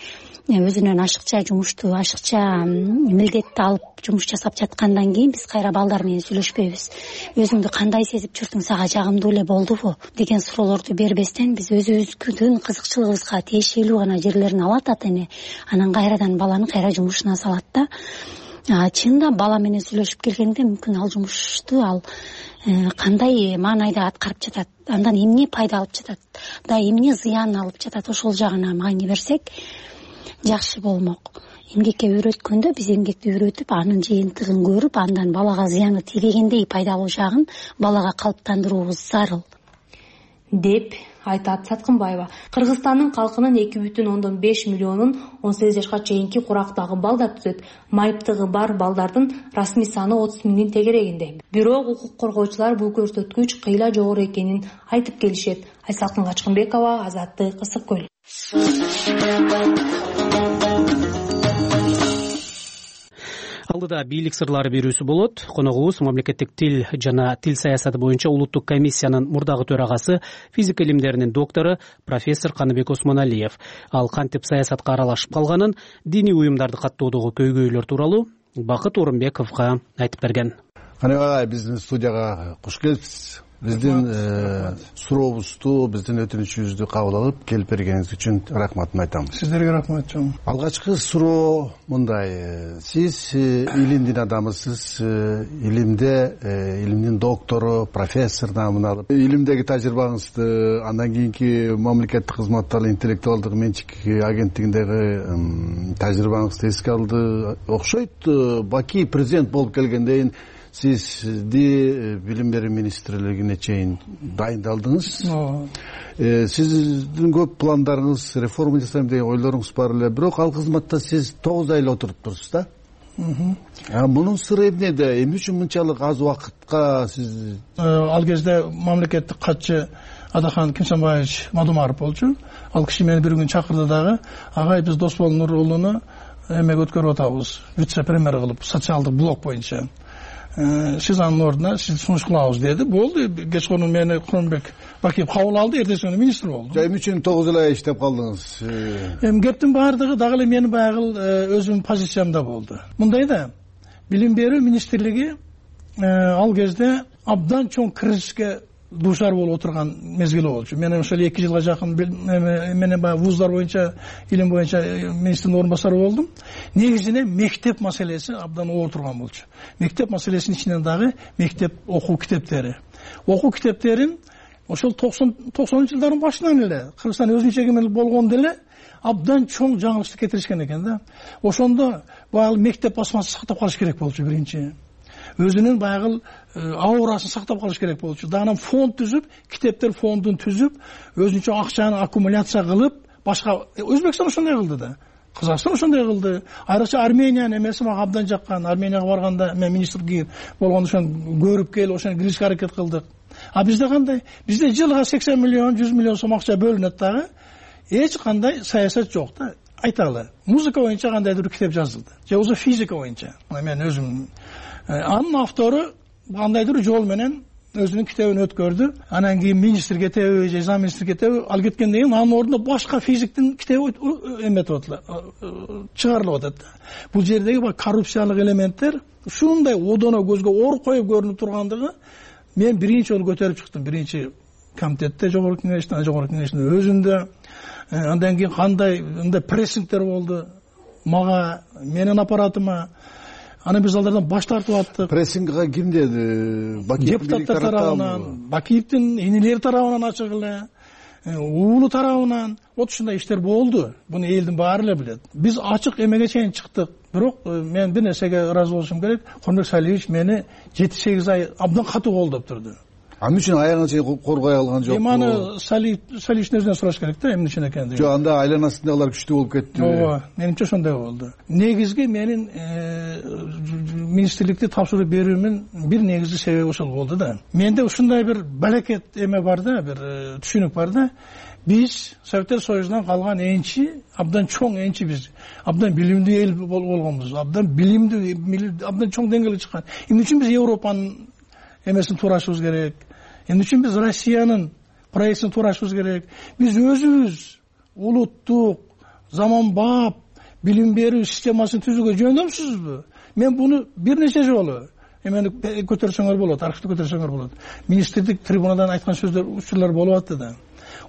өзүнөн ашыкча жумушту, ашыкча милдетти алып жумуш жасап жаткандан кийин биз кайра балдар менен сүйлөшпөйбүз. Өзүңдү кандай сезип жүрдүң, сага жагымдуу эле болдубу деген суроолорду бербестен биз өзүбүздүн кызыкчылыгыбызга тиешелүү гана жерлерин алат ата эне, анан кайрадан баланы кайра жумушуна салат да. Чынында бала менен сүйлөшүп келгенде мүмкүн ал жумушту ал кандай маанайда аткарып жатат, андан эмне пайда алып жатат, да эмне зыян алып жатат, ошол жагына маани берсек жакшы болмок. Эмгекке үйрөткөндө биз эмгекти үйрөтүп, анын жыйынтыгын көрүп, андан балага зыяны тийбегендей пайдалуу жагын балага калыптандыруубуз зарыл, деп айтат Саткынбаева. Кыргызстандын калкынын эки бүтүн ондон беш миллионун он сегиз жашка чейинки курактагы балдар түзөт. Майыптыгы бар балдардын расмий саны отуз миңдин тегерегинде. Бирок укук коргоочулар бул көрсөткүч кыйла жогору экенин айтып келишет. Айсалкын Качкынбекова, Азаттык, Ысык көл. Алдыда бийлик сырлары берүүсү болот. Коногубуз мамлекеттик тил жана тил саясаты боюнча улуттук комиссиянын мурдагы төрагасы, физика илимдеринин доктору профессор Каныбек Осмоналиев. Ал кантип саясатка аралашып калганын, диний уюмдарды каттоодогу көйгөйлөр тууралуу Бакыт Орунбековго айтып берген. Каныбек агай, биздин студияга куш келипсиз. Биздин сурообузду, биздин өтүнүчүбүздү кабыл алып келип бергениңиз үчүн рахматымды айтам. Сиздерге рахмат чоң. Алгачкы суроо мындай: сиз илимдин адамысыз, илимде илимдин доктору, профессор наамын алып, илимдеги тажрыйбаңызды андан кийинки мамлекеттик кызматтагы интеллектуалдык менчик агенттигиндеги тажрыйбаңызды эске алды окшойт. Баки президент болуп келгенден кийин сизди билим берүү министрлигине чейин дайындалдыңыз. Сиздин көп пландарыңыз, реформа жасайм деген ойлоруңуз бар эле, бирок ал кызматта сиз тогуз ай эле отуруп турсуз да. Мунун сыры эмнеде? Эмне үчүн мынчалык аз убакытка сиз? Ал кезде мамлекеттик катчы Адахан Кимсанбаевич Мадумаров болчу. Ал киши мени бир күн чакырды дагы: агай, биз Досбол Нурулууну эмеге өткөрүп атабыз, вице-премьер кылып, социалдык блок боюнча. Сиз анын ордуна сиз сунуш кылабыз деди. Болду. Кечкурун мени Курманбек Бакиев кабыл алды, эртеси күнү министр болду. Эмне үчүн тогуз ай иштеп калдыңыз? Эми кептин баардыгы дагы эле менин баягы өзүмдүн позициямда болду. Мындай да, билим берүү министрлиги ал кезде абдан чоң кризиске дуушар болуп отурган мезгили болчу. Мен ошол эки жылга жакын менен баягы вуздар боюнча, илим боюнча министрдин орун басары болдум. Негизинен мектеп маселеси абдан оор турган болчу. Мектеп маселесинин ичинен дагы мектеп окуу китептери. Окуу китептерин ошол токсонунчу жылдардын башынан эле Кыргызстан өзүнчө эгемендик болгондо эле абдан чоң жаңылыштык кетиришкен экен да. Ошондо баягы мектеп басмасын сактап калыш керек болчу биринчи. Өзүнүн баягы аурасын сактап калыш керек болчу. Анан фонд түзүп, китептер фондун түзүп, өзүнчө акчаны аккумуляция кылып, башка Өзбекстан ошондой кылды да. Казакстан ошондой кылды. Айрыкча Армениянын эмеси мага абдан жаккан. Арменияга барганда мен министр болгондо ошону көрүп келип, ошону киришке аракет кылдык. А бизде кандай? Бизде жылга сексен миллион, жүз миллион сом акча бөлүнөт дагы. Эч кандай саясат жок да. Айталы. Музыка боюнча кандайдыр бир китеп жазылды. Же болбосо физика боюнча. Мен өзүм анын автору кандайдыр жол менен өзүнүн китебин өткөрдү. Анан кийин министр кетеби, же зам министр кетеби, ал кеткенден кийин анын ордуна башка физиктин китеби эметип атат, чыгарылып атат. Бул жердеги коррупциялык элементтер ушундай одоно көзгө оор коюп көрүнүп тургандыгы мен биринчи жолу көтөрүп чыктым. Биринчи комитетте, жогорку кеңештин, жогорку кеңештин өзүндө. Андан кийин кандай мындай прессингдер болду мага, менин аппаратыма. анан биз алардан баш тартып аттык. Прессингге ким деди? Бакиев депутаттар тарабынан, Бакиевдин энелери тарабынан ачык эле, уулу тарабынан вот ушундай иштер болду. Буну элдин баары эле билет. Биз ачык эмеге чейин чыктык. Бирок мен бир нерсеге ыраазы болушум керек. Конбек Салиевич мени жети сегиз ай абдан катуу колдоп турду. Эмне үчүн аягына чейин коргой алган жокпу? Эми аны Салиевичтин өзүнөн сураш керек да, эмне үчүн экендигин. Жок, анда айланасындагылар күчтүү болуп кетти. Ооба, менимче ошондой болду. Негизги менин министрликти тапшырып берүүмүн бир негизги себеби ошол болду да. Менде ушундай бир балекет эме бар да, бир түшүнүк бар да. Биз Советтер Союзунан калган энчи, абдан чоң энчи биз. Абдан билимдүү эл болгонбуз. Абдан билимдүү, абдан чоң деңгээлге чыккан. Эмне үчүн биз Европанын эмесин туурашыбыз керек? Эмне үчүн биз Россиянын проектисин туурашыбыз керек? Биз өзүбүз улуттук, заманбап билим берүү системасын түзүүгө жөндөмсүзбү? Мен буну бир нече жолу эмени көтөрсөңөр болот, архивди көтөрсөңөр болот. Министрлик трибунадан айткан сөздөр, учурлар болуп атты да.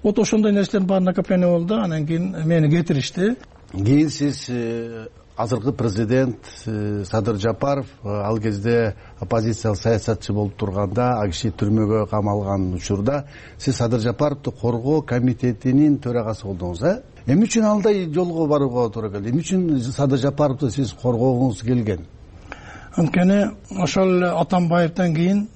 Вот ошондой нерселердин баары накопление болду, анан кийин мени кетиришти. Кийин сиз азыркы президент Садыр Жапаров ал кезде оппозициялык саясатчы болуп турганда, ал киши түрмөгө камалган учурда сиз Садыр Жапаровду коргоо комитетинин төрагасы болдуңуз, э? Эмне үчүн андай жолго барууга туура келди? Эмне үчүн Садыр Жапаровду сиз коргогуңуз келген? Анткени ошол Атамбаевден кийин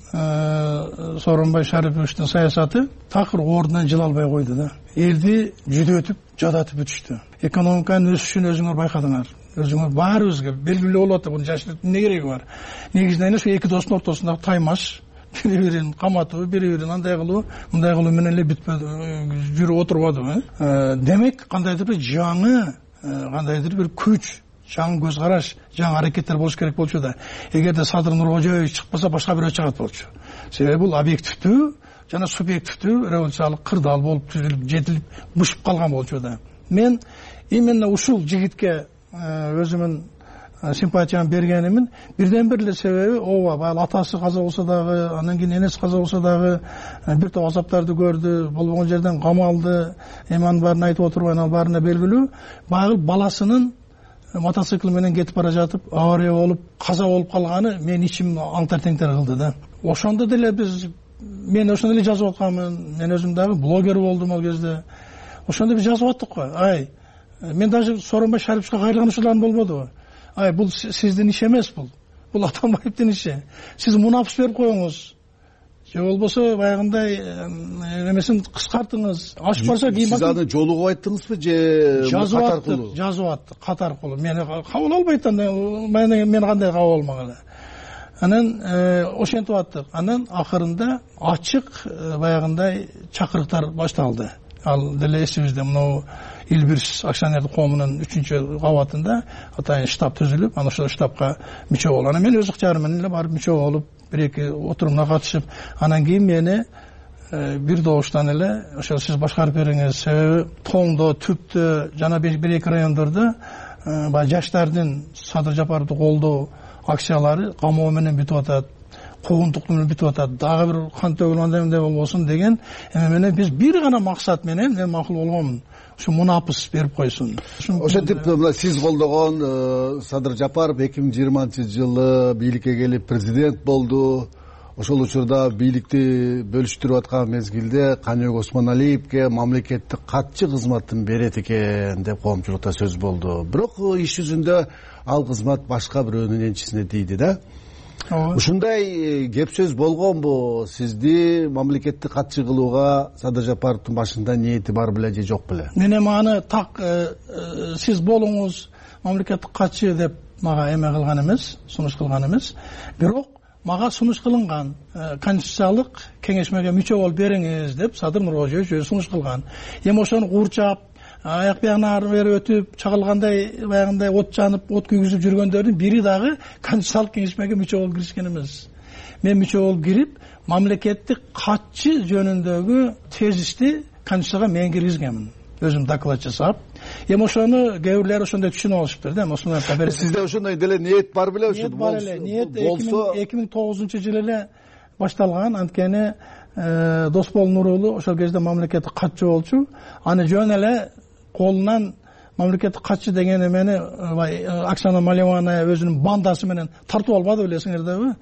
Сооронбай Шариповичтин саясаты такыр ордунан жыла албай койду да. Элди жүдөтүп, жадатып бүтүштү. Экономиканын өсүшүн өзүңөр байкадыңар. Өзүңөр баарыбызга белгилүү болуп атты. Буну жашыртып эмне кереги бар? Негизинен ошо эки достун ортосундагы таймаш, бири-бирин каматуу, бири-бирин андай кылуу, мындай кылуу менен эле бүтпөдү, жүрүп отурбадыбы? Демек, кандайдыр бир жаңы, кандайдыр бир күч, жаңы көз караш, жаңы аракеттер болуш керек болчу да. Эгерде Садыр Нуркожоевич чыкпаса, башка бирөө чыгат болчу. Себеби бул объективдүү жана субъективдүү революциялык кырдаал болуп түзүлүп, жетилип, бушуп калган болчу да. Мен именно ушул жигитке өзүмүн симпатиямды бергенимин бирден бир эле себеби, ооба, баягы атасы каза болсо дагы, андан кийин энеси каза болсо дагы бир топ азаптарды көрдү, болбогон жерден камалды, эми анын баарын айтып отурбайм, ал баарына белгилүү. Баягы баласынын мотоцикл менен кетип бара жатып, авария болуп, каза болуп калганы мен ичим аңтар-теңтер кылды да. Ошондо деле биз, мен ошондо эле жазып атканмын, мен өзүм дагы блогер болдум ал кезде. Ошондо биз жазып аттык го. Ай, мен даже Сооронбай Шариповичке кайрылган учурларым болбодубу? Ай, бул сиздин иш эмес бул. Бул Атамбаевдин иши. Сиз мунапс берип коюңуз. Же болбосо баягындай эмесин кыскартыңыз. Аш барса кийин сиз аны жолугуп айттыңызбы же кат аркылуу? Жазып аттык, кат аркылуу. Мени кабыл албайт анда, мен кандай кабыл алмак эле. Анан ошентип аттык. Анан акырында ачык баягындай чакырыктар башталды. Ал деле эсибизде, мына Илбирс акционердик коомунун үчүнчү кабатында атайын штаб түзүлүп, анан ошол штабка мүчө болуп, анан мен өз ыктыярым менен эле барып мүчө болуп, бир-эки отурумга катышып, анан кийин мени бир добуштан эле ошол сиз башкарып бериңиз. Себеби Тоңдо, Түптө жана бир-эки райондордо баягы жаштардын Садыр Жапаровду колдоо акциялары камоо менен бүтүп атат, куугунтук менен бүтүп атат, дагы бир кан төгүлгөндөй эмне болбосун деген эме менен биз бир гана максат менен мен макул болгонмун. Ушу мунапыс берип койсун. Ошентип сиз колдогон Садыр Жапаров эки миң жыйырманчы жылы бийликке келип президент болду. Ошол учурда бийликти бөлүштүрүп аткан мезгилде Каныбек Осмоналиевке мамлекеттик катчы кызматын берет экен деп коомчулукта сөз болду. Бирок иш жүзүндө ал кызмат башка бирөөнүн энчисине тийди да. Ушундай кеп сөз болгонбу? Сизди мамлекеттик катчы кылууга Садыр Жапаровдун башында ниети бар беле же жок беле? Мен эми аны так сиз болуңуз мамлекеттик катчы деп мага эме кылган эмес, сунуш кылган эмес. Бирок мага сунуш кылынган, конституциялык кеңешмеге мүчө болуп бериңиз деп Садыр Нуркожоевич өзү сунуш кылган. Эми ошону куурчап, аяк биягына ары бери өтүп, чагылгандай баягындай от жанып, от күйгүзүп жүргөндөрдүн бири дагы конституциялык кеңешмеге мүчө болуп киришкен эмес. Мен мүчө болуп кирип, мамлекеттик катчы жөнүндөгү тезисти конституцияга мен киргизгенмин. Өзүм доклад жасап. Эми ошону кээ бирлери ошондой түшүнүп алышыптыр да. Эми ошону сизде ошондой деле ниет бар беле? Ниет бар эле. Ниет эки миң тогузунчу жылы эле башталган. Анткени Досбол Нурулу ошол кезде мамлекеттик катчы болчу. Аны жөн эле колунан мамлекеттик катчы деген эмени Оксана Малевана өзүнүн бандасы менен тартып албады белесиңерби?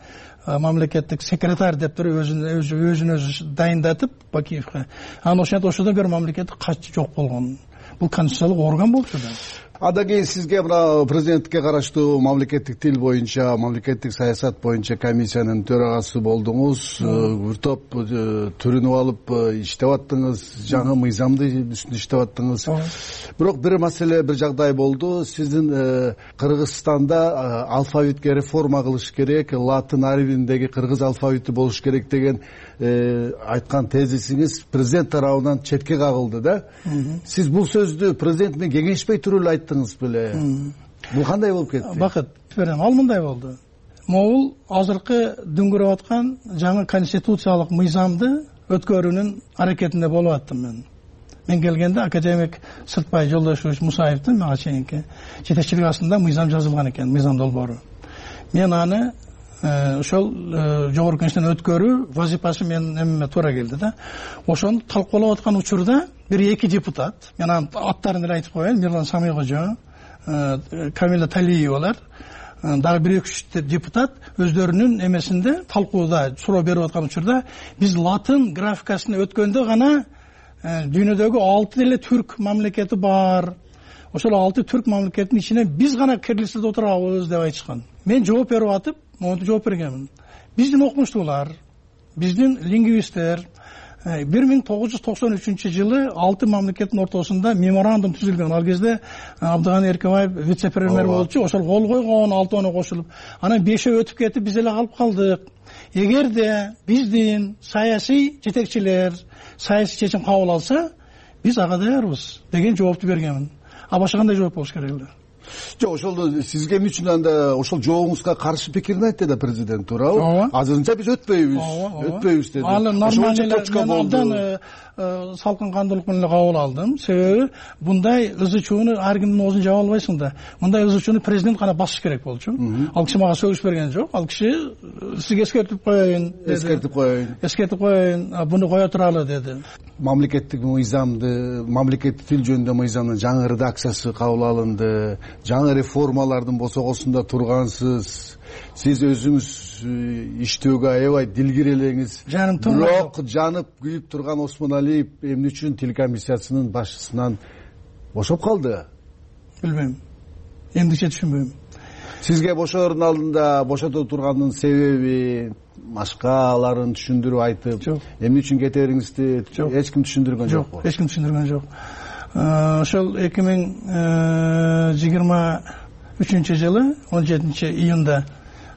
Мамлекеттик секретарь деп туруп өзүн өзүн өзү дайындатып Бакиевге. Анан ошентип ошодон бери мамлекеттик катчы жок болгон. Бул конституциялык орган болчу да. Андан кийин сизге мына президентке караштуу мамлекеттик тил боюнча, мамлекеттик саясат боюнча комиссиянын төрагасы болдуңуз. Бир топ түрүнүп алып иштеп аттыңыз, жаңы мыйзамды үстүндө иштеп аттыңыз. Бирок бир маселе, бир жагдай болду. Сиздин Кыргызстанда алфавитке реформа кылыш керек, латын арбиндеги кыргыз алфавити болуш керек деген айткан тезисиңиз президент тарабынан четке кагылды да. Сиз бул сөздү президент менен кеңешпей туруп эле айттыңыз беле? Бул кандай болуп кетти? Бакыт берем, ал мындай болду. Могул азыркы дүңгүрөп аткан жаңы конституциялык мыйзамды өткөрүүнүн аракетинде болуп аттым мен. Мен келгенде академик Сыртбай Жолдошевич Мусаевдин мага чейинки жетекчилик астында мыйзам жазылган экен, мыйзам долбоору. Мен аны ошол жогорку кеңештен өткөрүү вазифасы менин эмеме туура келди да. Ошону талкуулап аткан учурда бир эки депутат, мен анын аттарын эле айтып коеюн, Мирлан Самыйкожо, Камила Талиевалар, дагы бир эки үч депутат өздөрүнүн эмесинде талкууда суроо берип аткан учурда биз латын графикасына өткөндө гана дүйнөдөгү алты деле түрк мамлекети бар. Ошол алты түрк мамлекетинин ичинен биз гана кирилицада отурабыз деп айтышкан. Мен жооп берип атып, монтип жооп бергенмин. Биздин окумуштуулар, биздин лингвисттер бир миң тогуз жүз токсон үчүнчү жылы алты мамлекеттин ортосунда меморандум түзүлгөн. Ал кезде Абдыганы Эркебаев вице-премьер болчу, ошол кол койгон алтоону кошулуп, анан бешөө өтүп кетип биз эле калып калдык. Эгерде биздин саясий жетекчилер саясий чечим кабыл алса, биз ага даярбыз деген жоопту бергенмин. А башка кандай жооп болуш керек эле? Жок, ошол сизге эмне үчүн анда ошол жообуңузга каршы пикирин айтты да президент, туурабы? Азырынча биз өтпөйбүз, өтпөйбүз деди. Ал нормалдуу салкын кандуулук менен кабыл алдым. Себеби мындай ызы чууну ар кимдин оозун жаба албайсың да. Мындай ызы чууну президент гана басыш керек болчу. Ал киши мага сөгүш берген жок. Ал киши сизге эскертип коеюн деди. Эскертип коеюн. Эскертип коеюн, буну кое туралы деди. Мамлекеттик мыйзамды, мамлекеттик тил жөнүндө мыйзамдын жаңы редакциясы кабыл алынды. Жаңы реформалардын босогосунда тургансыз. Сиз өзүңүз иштөөгө аябай дилгир элеңиз. Бирок жанып күйүп турган Осмоналиев эмне үчүн тил комиссиясынын башчысынан бошоп калды? Билбейм. Эмдиче түшүнбөйм. Сизге бошоордун алдында бошото турганынын себеби, башкаларын түшүндүрүп айтып, эмне үчүн кетериңизди эч ким түшүндүргөн жокпу? Эч ким түшүндүргөн жок. Ошол эки миң жыйырма үчүнчү жылы он жетинчи июнда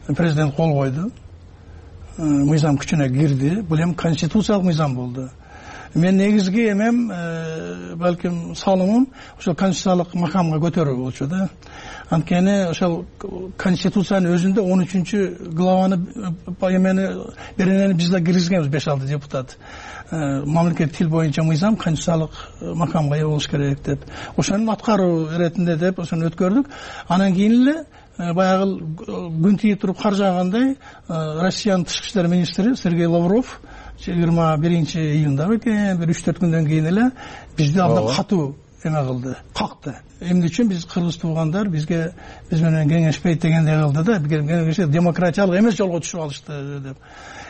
президент кол койду. Мыйзам күчүнө кирди. Бул эми конституциялык мыйзам болду. Мен негизги эмем, балким салымым ошол конституциялык макамга көтөрүү болчу да. Анткени ошол конституциянын өзүндө он үчүнчү главаны эмени беренени биз да киргизгенбиз беш алты депутат. Мамлекеттик тил боюнча мыйзам конституциялык макамга ээ болуш керек деп. Ошонун аткаруу иретинде деп ошону өткөрдүк. Анан кийин эле баягы күн тийип туруп кар жаагандай Россиянын тышкы иштер министри Сергей Лавров жыйырма биринчи июнда экен, бир үч төрт күндөн кийин эле бизди абдан катуу эме кылды, какты. Эмне үчүн биз кыргыз туугандар бизге биз менен кеңешпейт дегендей кылды да, кеңешпейт, демократиялык эмес жолго түшүп алышты деп.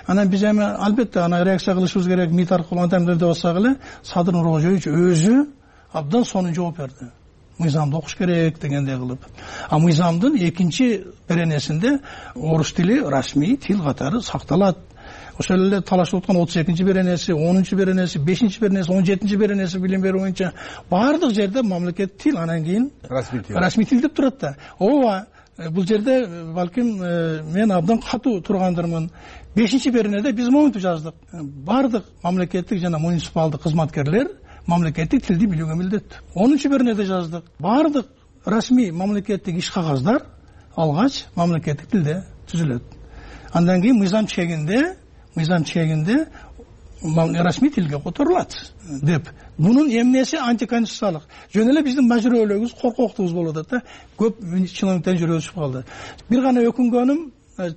Анан биз эми албетте ана реакция кылышыбыз керек, МИД аркылуу антемдеп бассак эле Садыр Нуркожоевич өзү абдан сонун жооп берди. Мыйзамды окуш керек дегендей кылып. А мыйзамдын экинчи беренесинде орус тили расмий тил катары сакталат. Ошол эле талашып аткан отуз экинчи беренеси, онунчу беренеси, бешинчи беренеси, он жетинчи беренеси билим берүү боюнча баардык жерде мамлекеттик тил, анан кийин расмий тил. Расмий тил деп турат да. Ооба, бул жерде балким мен абдан катуу тургандырмын. бешинчи беренеде биз монтип жаздык. Баардык мамлекеттик жана муниципалдык кызматкерлер мамлекеттик тилди билүүгө милдеттүү. онунчу беренеде жаздык. Баардык расмий мамлекеттик иш кагаздар алгач мамлекеттик тилде түзүлөт. Андан кийин мыйзам чегинде мыйзам чегинде расмий тилге которулат деп. Мунун эмнеси антиконституциялык. Жөн эле биздин мажүрөлөгүбүз, коркоктугубуз болуп атат да. Көп чиновниктер жүрөгү түшүп калды. Бир гана өкүнгөнүм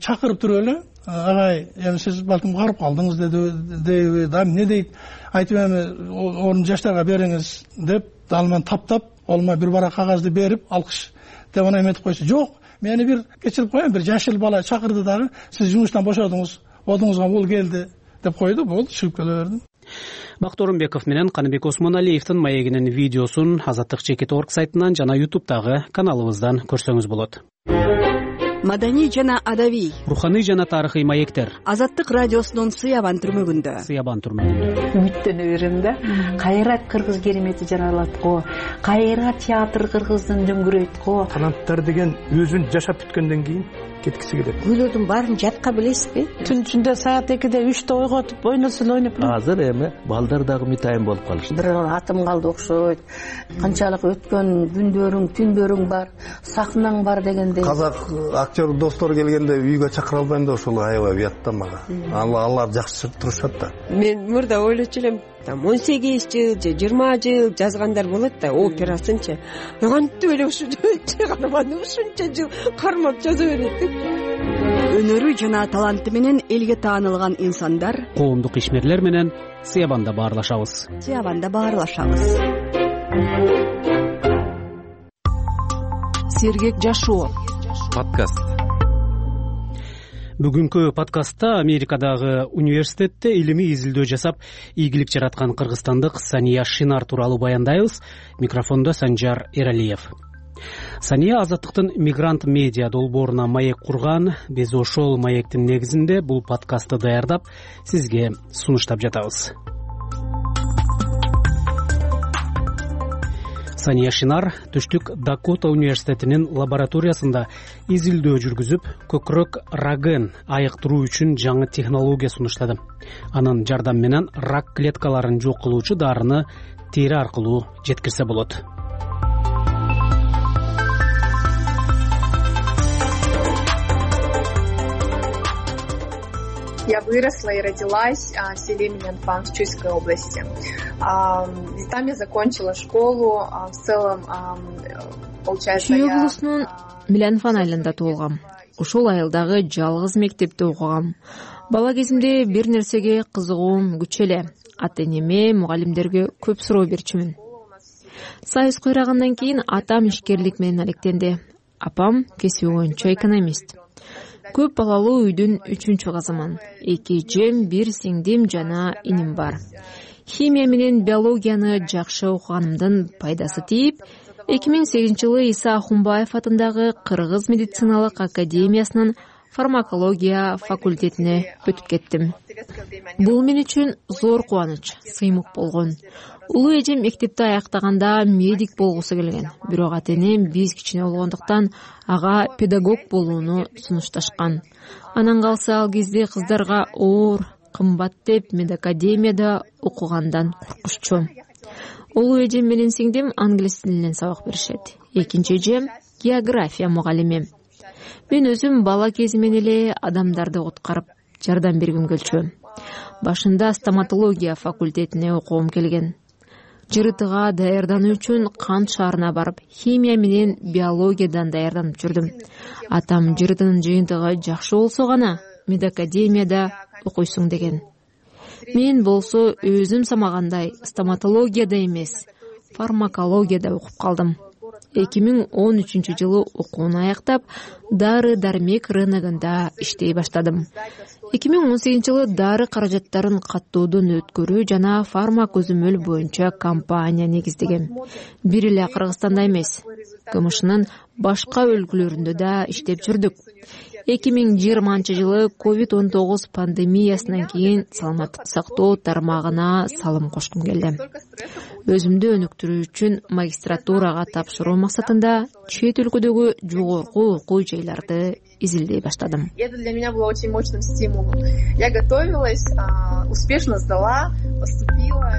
чакырып туруп эле, агай, эми сиз балким карып калдыңыз деди, да эмне дейт, айтып эми орун жаштарга бериңиз деп, ал менен таптап ал мага бир барак кагазды берип алкыш деп анан эметип койчу. Жок, мени бир кечирип коеюн, бир жашыл бала чакырды дагы, сиз жумуштан бошодуңуз, одуңузга бул келди деп койду. Болду, чыгып келе бердим. Бакыт Орунбеков менен Каныбек Осмоналиевдин маегинин видеосун Азаттык чекит точка орг сайтынан жана ютубтагы каналыбыздан көрсөңүз болот. Маданий жана адабий, руханий жана тарыхый маектер. Азаттык радиосунун Сыябан түрмөгүндө. Сыябан түрмөгүндө. Үмүттөнө берем да. Кайра кыргыз керемети жаралат го. Кайра театр кыргыздын дөңгүрөйт го. Канаттар деген өзүн жашап бүткөндөн кийин кеткиси келет. Күйлөрдүн баарын жатка билесизби? Түн ичинде саат экиде үчтө ойготуп ойносо ойноп. Азыр эми балдар дагы мытайын болуп калышты. Бир атым калды окшойт. Канчалык өткөн күндөрүң, түндөрүң бар, сахнаң бар дегендей. Казак актер достор келгенде үйгө чакыра албайм да ошол аябай уят да мага. Алар жакшы турушат да. Мен мурда ойлочу элем, он сегиз жыл же жыйырма жыл жазгандар болот да, операсынчы. Кантип эле ушул чыгарманы ушунча жыл кармап жаза берет деп. Өнөрү жана таланты менен элге таанылган инсандар, коомдук ишмерлер менен Сыябанда баарлашабыз. Сыябанда баарлашабыз. Сергек жашоо подкаст. Бүгүнкү подкастта Америкадагы университетте илимий изилдөө жасап, ийгилик жараткан кыргызстандык Сания Шинар тууралуу баяндайбыз. Микрофондо Санжар Эралиев. Сания Азаттыктын Мигрант медиа долбооруна маек курган. Биз ошол маектин негизинде бул подкастты даярдап, сизге сунуштап жатабыз. Сания Шинар Түштүк Дакота университетинин лабораториясында изилдөө жүргүзүп, көкүрөк раген айыктыруу үчүн жаңы технология сунуштады. Анын жардамы менен рак клеткаларын жок кылуучу дарыны тери аркылуу жеткирсе болот. Я выросла и родилась в селе Минянфан в Чуйской области. И там я закончила школу. В целом, получается, Чүй облусунун Минянфан айылында туулгам. Ошол айылдагы жалгыз мектепте окугам. Бала кезимде бир нерсеге кызыгуум күч эле. Ата-энеме, мугалимдерге көп суроо берчүмүн. Сайыз куйрагандан кийин атам ишкерлик менен алектенди. Апам кесиби боюнча экономист. Көп балалуу үйдүн үчүнчү кызымын. Эки эжем, бир сиңдим жана иним бар. Химия менен биологияны жакшы окуганымдын пайдасы тийип, эки миң сегизинчи жылы Иса Ахунбаев атындагы Кыргыз медициналык академиясынын фармакология факультетине өтүп кеттим. Бул мен үчүн зор кубаныч, сыймык болгон. Улуу эжем мектепти аяктаганда медик болгусу келген. Бирок ата-энем биз кичине болгондуктан ага педагог болууну сунушташкан. Анан калса ал кезде кыздарга оор, кымбат деп медакадемияда окугандан коркушчу. Улуу эжем менен сиңдим англис тилинен сабак беришет. Экинчи эжем география мугалими. Мен өзүм бала кезимен эле адамдарды куткарып жардам бергим келчү. Башында стоматология факультетине окугум келген. Жырытыга даярдануу үчүн Кант шаарына барып, химия менен биологиядан даярданып жүрдүм. Атам жырытынын жыйынтыгы жакшы болсо гана медакадемияда окуйсуң деген. Мен болсо өзүм самагандай стоматологияда эмес, фармакологияда окуп калдым. эки миң он үчүнчү жылы окууну аяктап, дары дармек рыногунда иштей баштадым. эки миң он сегизинчи жылы дары каражаттарын каттоодон өткөрүү жана фармакөзөмөл боюнча компания негиздегем. Бир эле Кыргызстанда эмес, КМШнын башка өлкөлөрүндө да иштеп жүрдүк. эки миң жыйырманчы жылы ковид он тогуз пандемиясынан кийин саламаттык сактоо тармагына салым кошкум келди. Өзүмдү өнүктүрүү үчүн магистратурага тапшыруу максатында чет өлкөдөгү жогорку окуу жайларды изилдей баштадым. Это для меня было очень мощным стимулом. Я готовилась, успешно сдала, поступила.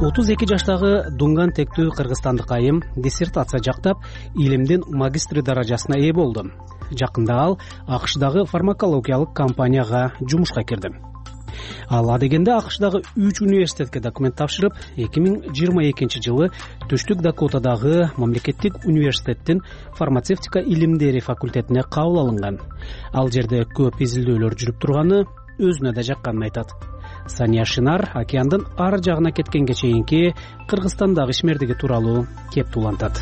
отуз эки жаштагы Дунган тектүү кыргызстандык айым диссертация жактап, илимдин магистри даражасына ээ болду. Жакында ал АКШдагы фармакологиялык компанияга жумушка кирди. Ал адегенде АКШдагы үч университетке документ тапшырып, эки миң жыйырма экинчи жылы Түштүк Дакотадагы мамлекеттик университеттин фармацевтика илимдери факультетине кабыл алынган. Ал жерде көп изилдөөлөр жүрүп турганы өзүнө да жакканын айтат. Сания Шинар океандын ар жагына кеткенге чейинки Кыргызстандагы ишмердиги тууралуу кеп туулантат.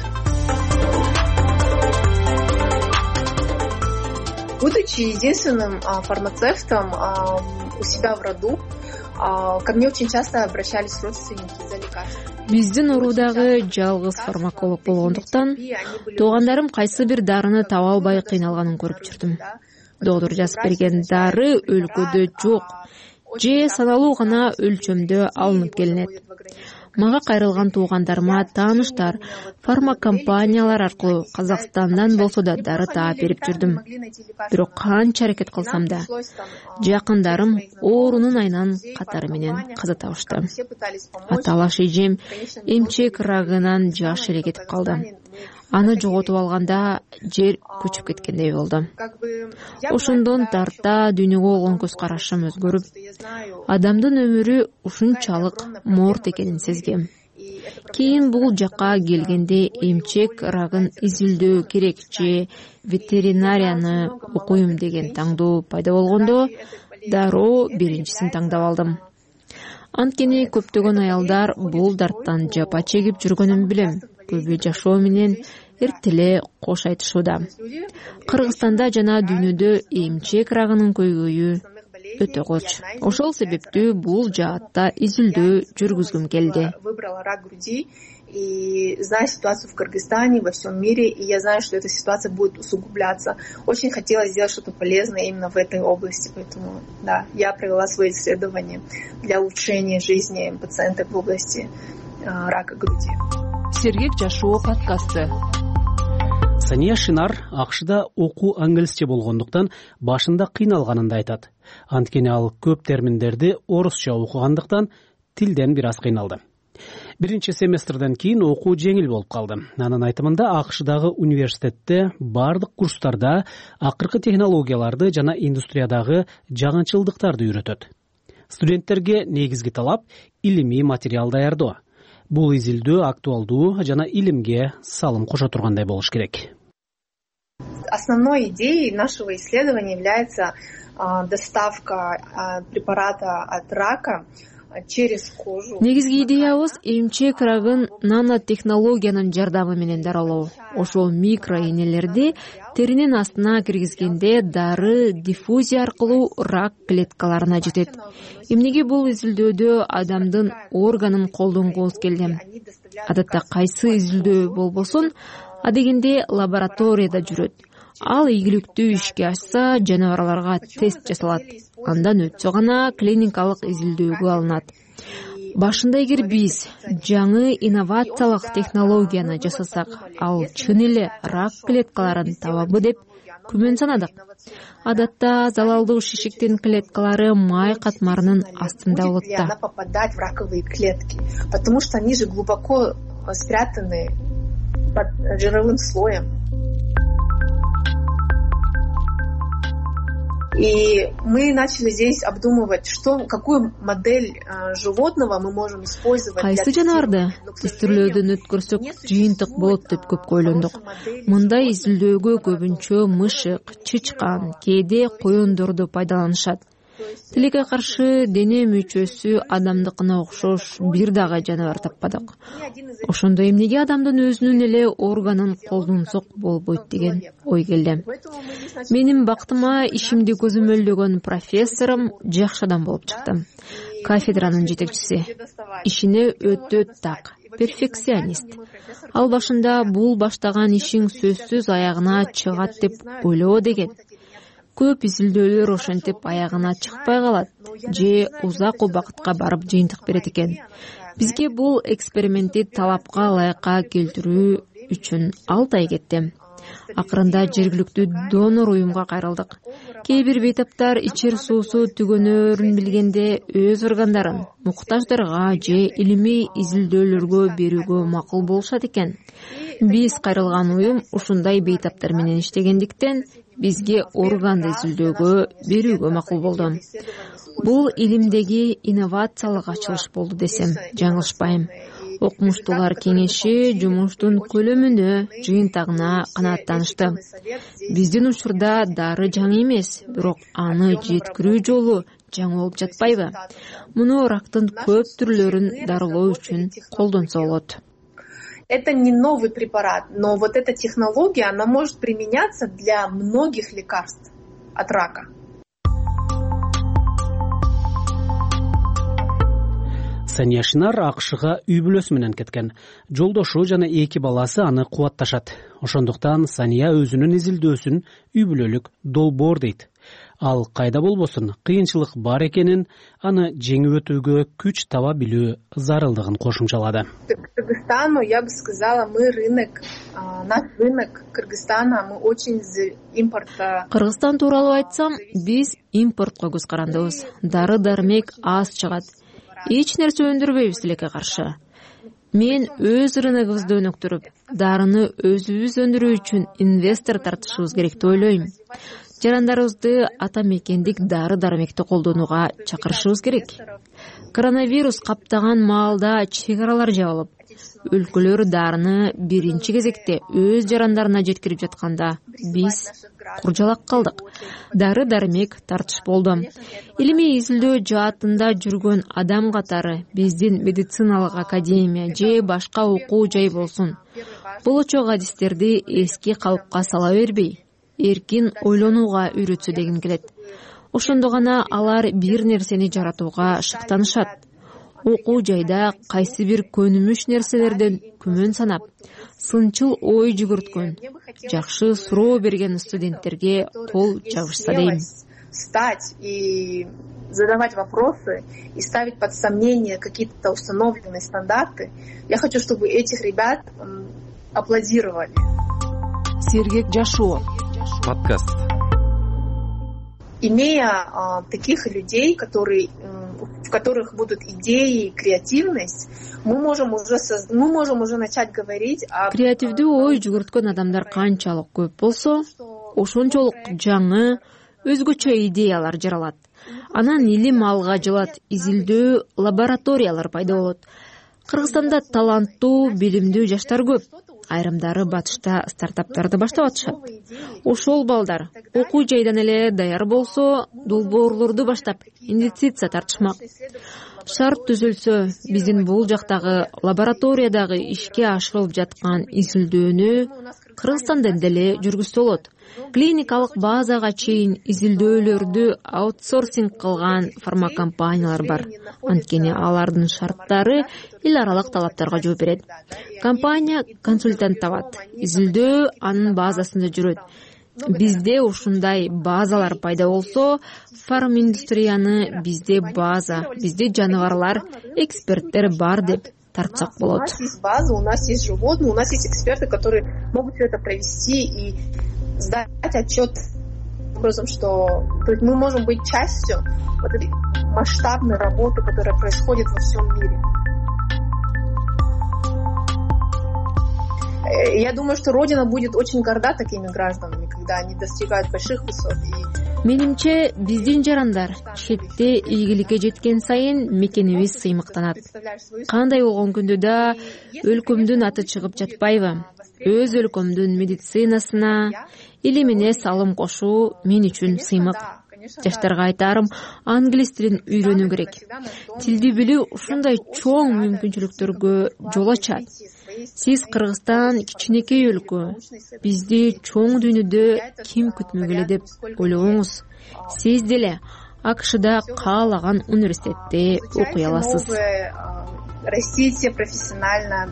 Будучи единственным фармацевтом у себя в роду, ко мне очень часто обращались родственники за лекарствами. Биздин уруудагы жалгыз фармаколог болгондуктан туугандарым кайсы бир дарыны таба албай кыйналганын көрүп жүрдүм. Доктор жазып берген дары өлкөдө жок же саналуу гана өлчөмдө алынып келинет. Мага кайрылган туугандарыма тааныштар, фармакомпаниялар аркылуу Казакстандан болсо да дары таап берип жүрдүм. Бирок канча аракет кылсам да жакындарым оорунун айынан катары менен каза табышты. Аталаш эжем эмчек рагынан жаш эле кетип калды. Аны жоготуп алганда жер көчүп кеткендей болду. Ошондон тарта дүйнөгө болгон көз карашым өзгөрүп, адамдын өмүрү ушунчалык моорт экенин сезгем. Кийин бул жакка келгенде эмчек рагын изилдөө керек же ветеринарияны окуйм деген таңдоо пайда болгондо дароо биринчисин таңдап алдым. Анткени көптөгөн аялдар бул дарттан жапа чегип жүргөнүн билем. Көбү жашоо менен эртеле кош айтышууда. Кыргызстанда жана дүйнөдө эмчек рагынын көйгөйү өтө коч. Ошол себептүү бул жаатта изилдөө жүргүзгүм келди. И знаю ситуацию в Кыргызстане, во всем мире, и я знаю, что эта ситуация будет усугубляться. Очень хотела сделать что-то полезное именно в этой области, поэтому, да, я провела свои исследования для улучшения жизни пациентов в области э, рака груди. Сергек жашоо подкасты. Сания Шинар АКШда окуу англисче болгондуктан башында кыйналганын да айтат. Анткени ал көп терминдерди орусча окугандыктан тилден бир аз кыйналды. Биринчи семестрден кийин окуу жеңил болуп калды. Анын айтымында АКШдагы университетте бардык курстарда акыркы технологияларды жана индустриядагы жагынчылдыктарды үйрөтөт. Студенттерге негизги талап илимий материал даярдоо. Бул изилдөө актуалдуу жана илимге салым кошо тургандай болуш керек. Основной идеей нашего исследования является а, доставка а, препарата от рака через кожу. Негизги идеябыз эмчек рагын нанотехнологиянын жардамы менен даралоо. Ошол микроэнелерди теринин астына киргизгенде дары диффузия аркылуу рак клеткаларына жетет. Эмнеге бул изилдөөдө адамдын органын колдонгубуз келди? Адатта кайсы изилдөө болбосун, адегенде лабораторияда жүрөт. Ал ийгиликтүү ишке ашса, жаныбарларга тест жасалат. Андан өтсө гана клиникалык изилдөөгө алынат. Башында эгер биз жаңы инновациялык технологияны жасасак, ал чын эле рак клеткаларын табабы деп күмөн санадык. Адатта залалдуу шишиктин клеткалары май катмарынын астында болот да. Она попадает в раковые клетки, потому что они же глубоко спрятаны под жировым слоем. И мы начали здесь обдумывать, что, какую модель э, животного мы можем использовать. Кайсы жаныбарды тестирлөөдөн өткөрсөк жыйынтык болот деп көп ойлондук. Мындай изилдөөгө көбүнчө мышык, чычкан, кээде коёндорду пайдаланышат. Тилекке каршы дене мүчөсү адамдыкына окшош бир дагы жаныбар таппадык. Ошондо эмнеге адамдын өзүнүн эле органын колдонсок болбойт деген ой келди. Менин бактыма ишимди көзөмөлдөгөн профессорум жакшы адам болуп чыкты. Кафедранын жетекчиси. Ишине өтө так, перфекционист. Ал башында бул баштаган ишиң сөзсүз аягына чыгат деп ойлоо деген. Көп изилдөөлөр ошентип аягына чыкпай калат же узак убакытка барып жыйынтык берет экен. Бизге бул экспериментти талапка ылайыкка келтирүү үчүн алты ай кетти. Акырында жергиликтүү донор уюмга кайрылдык. Кээ бир бейтаптар ичер суусу түгөнөрүн билгенде өз органдарын муктаждарга же илимий изилдөөлөргө берүүгө макул болушат экен. Биз кайрылган уюм ушундай бейтаптар менен иштегендиктен бизге органды изилдөөгө берүүгө макул болду. Бул илимдеги инновациялык ачылыш болду десем жаңылышпайм. Окумуштуулар кеңеши жумуштун көлөмүнө, жыйынтыгына канааттанышты. Биздин учурда дары жаңы эмес, бирок аны жеткирүү жолу жаңы болуп жатпайбы? Муну рактын көп түрлөрүн дарылоо үчүн колдонсо болот. Это не новый препарат, но вот эта технология, она может применяться для многих лекарств от рака. Сания Шинар АКШга үй бүлөсү менен кеткен. Жолдошу жана эки баласы аны кубатташат. Ошондуктан Сания өзүнүн изилдөөсүн үй бүлөлүк долбоор дейт. Ал кайда болбосун кыйынчылык бар экенин, аны жеңип өтүүгө күч таба билүү зарылдыгын кошумчалады. Кыргызстану, я бы сказала, мы рынок, наш рынок Кыргызстана, мы очень из импорта. Кыргызстан тууралуу айтсам, биз импортко көз карандыбыз. Дары дармек аз чыгат. Эч нерсе өндүрбөйбүз тилекке каршы. Мен өз рыногубузду өнүктүрүп, дарыны өзүбүз өндүрүү үчүн инвестор тартышыбыз керек деп ойлойм. Жарандарыбызды ата мекендик дары дармекти колдонууга чакырышыбыз керек. Коронавирус каптаган маалда чек аралар жабылып, өлкөлөр дарыны биринчи кезекте өз жарандарына жеткирип жатканда биз куржалак калдык. Дары дармек тартыш болду. Илимий изилдөө жаатында жүргөн адам катары биздин медициналык академия же башка окуу жай болсун, болочок адистерди эски калыпка сала бербей, эркин ойлонууга үйрөтсө дегим келет. Ошондо гана алар бир нерсени жаратууга шыктанышат. Окуу жайда кайсы бир көнүмүш нерселерден күмөн санап, сынчыл ой жүгүрткөн, жакшы суроо берген студенттерге кол жабышса дейм. Стать и задавать вопросы и ставить под сомнение какие-то установленные стандарты. Я хочу, чтобы этих ребят аплодировали. Сергек Жашоо. Подкаст. Имея а, таких людей, которые, в которых будут идеи, креативность, мы можем уже соз... мы можем уже начать говорить о креативдүү ой жүгүрткөн адамдар канчалык көп болсо, ошончолук жаңы, өзгөчө идеялар жаралат. Анан илим алга жылат, изилдөө лабораториялар пайда болот. Кыргызстанда таланттуу, билимдүү жаштар көп. Айрымдары батышта стартаптарды баштап атышат. Ошол балдар окуу жайдан эле даяр болсо, долбоорлорду баштап инвестиция тартышмак. Шарт түзүлсө, биздин бул жактагы лабораториядагы ишке ашырылып жаткан изилдөөнү Кыргызстандан деле жүргүзсө болот. Клиникалык базага чейин изилдөөлөрдү аутсорсинг кылган фармакомпаниялар бар. Анткени алардын шарттары эл аралык талаптарга жооп берет. Компания консультант табат. Изилдөө анын базасында жүрөт. Бизде ушундай базалар пайда болсо, фарминдустрияны бизде база, бизде жаныбарлар, эксперттер бар деп тартсак болот. У нас есть база, у нас есть животные, у нас есть эксперты, которые могут все это провести и сдать отчет образом, что то есть мы можем быть частью вот этой масштабной работы, которая происходит во всем мире. Я думаю, что Родина будет очень горда такими гражданами, когда они достигают больших высот. Менимче, биздин жарандар четте ийгиликке жеткен сайын мекенибиз сыймыктанат. Кандай болгон күндө да өлкөмдүн аты чыгып жатпайбы? Өз өлкөмдүн медицинасына, илимине салым кошуу мен үчүн сыймык. Жаштарга айтарым, англис тилин үйрөнүү керек. Тилди билүү ушундай чоң мүмкүнчүлүктөргө жол ачат. Сиз Кыргызстан кичинекей өлкө, бизди чоң дүйнөдө ким күтмөгүлө деп ойлобоңуз. Сиз деле АКШда каалаган университетте окуй аласыз. Растите профессионально,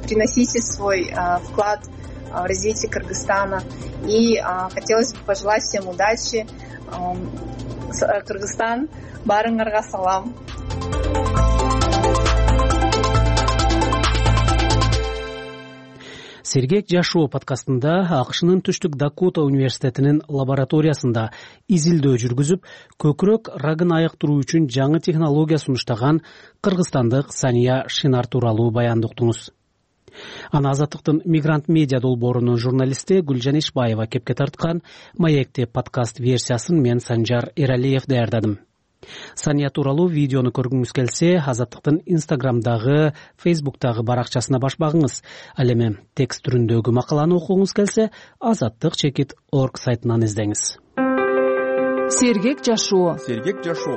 приносите свой вклад в развитие Кыргызстана. И хотелось бы пожелать всем удачи. Кыргызстан, барыңарга салам. Сергек Жашоо подкастында АКШнын Түштүк Дакота университетинин лабораториясында изилдөө жүргүзүп, көкүрөк рагын айыктыруу үчүн жаңы технология сунуштаган кыргызстандык Сания Шинар тууралуу баянды уктуңуз. Аны Азаттыктын Мигрант медиа долбоорунун журналисти Гүлжан Ишбаева кепке тарткан Маекте подкаст версиясын мен Санжар Эралиев даярдадым. Сания тууралуу видеону көргүңүз келсе, Азаттыктын Инстаграмдагы, Фейсбуктагы баракчасына баш багыңыз. Ал эми текст түрүндөгү макаланы окугуңуз келсе, азаттык чекит точка орг сайтынан издеңиз. Сергек жашоо. Сергек жашоо.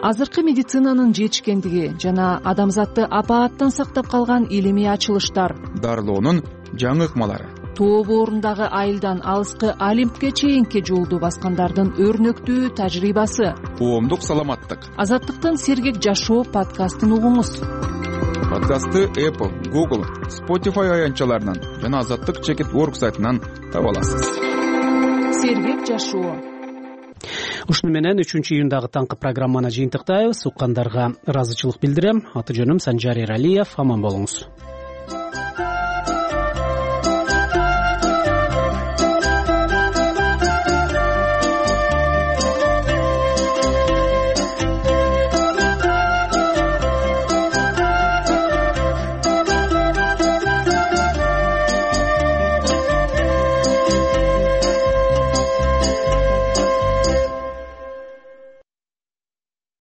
Азыркы медицинанын жетишкендиги жана адамзатты апааттан сактап калган илимий ачылыштар. Дарылоонун жаңы ыкмалары. Тоо боорундагы айылдан алыскы Олимпке чейинки жолду баскандардын өрнөктүү тажрыйбасы. Коомдук саламаттык. Азаттыктын Сергек жашоо подкастын угуңуз. Подкастты Apple, Google, Spotify аянтчаларынан жана Азаттык чекит орг сайтынан таба аласыз. Сергек жашоо. Ушуну менен үчүнчү июндагы таңкы программаны жыйынтыктайбыз. Уккандарга ыраазычылык билдирем. Аты жөнүм Санжар Эралиев. Аман болуңуз.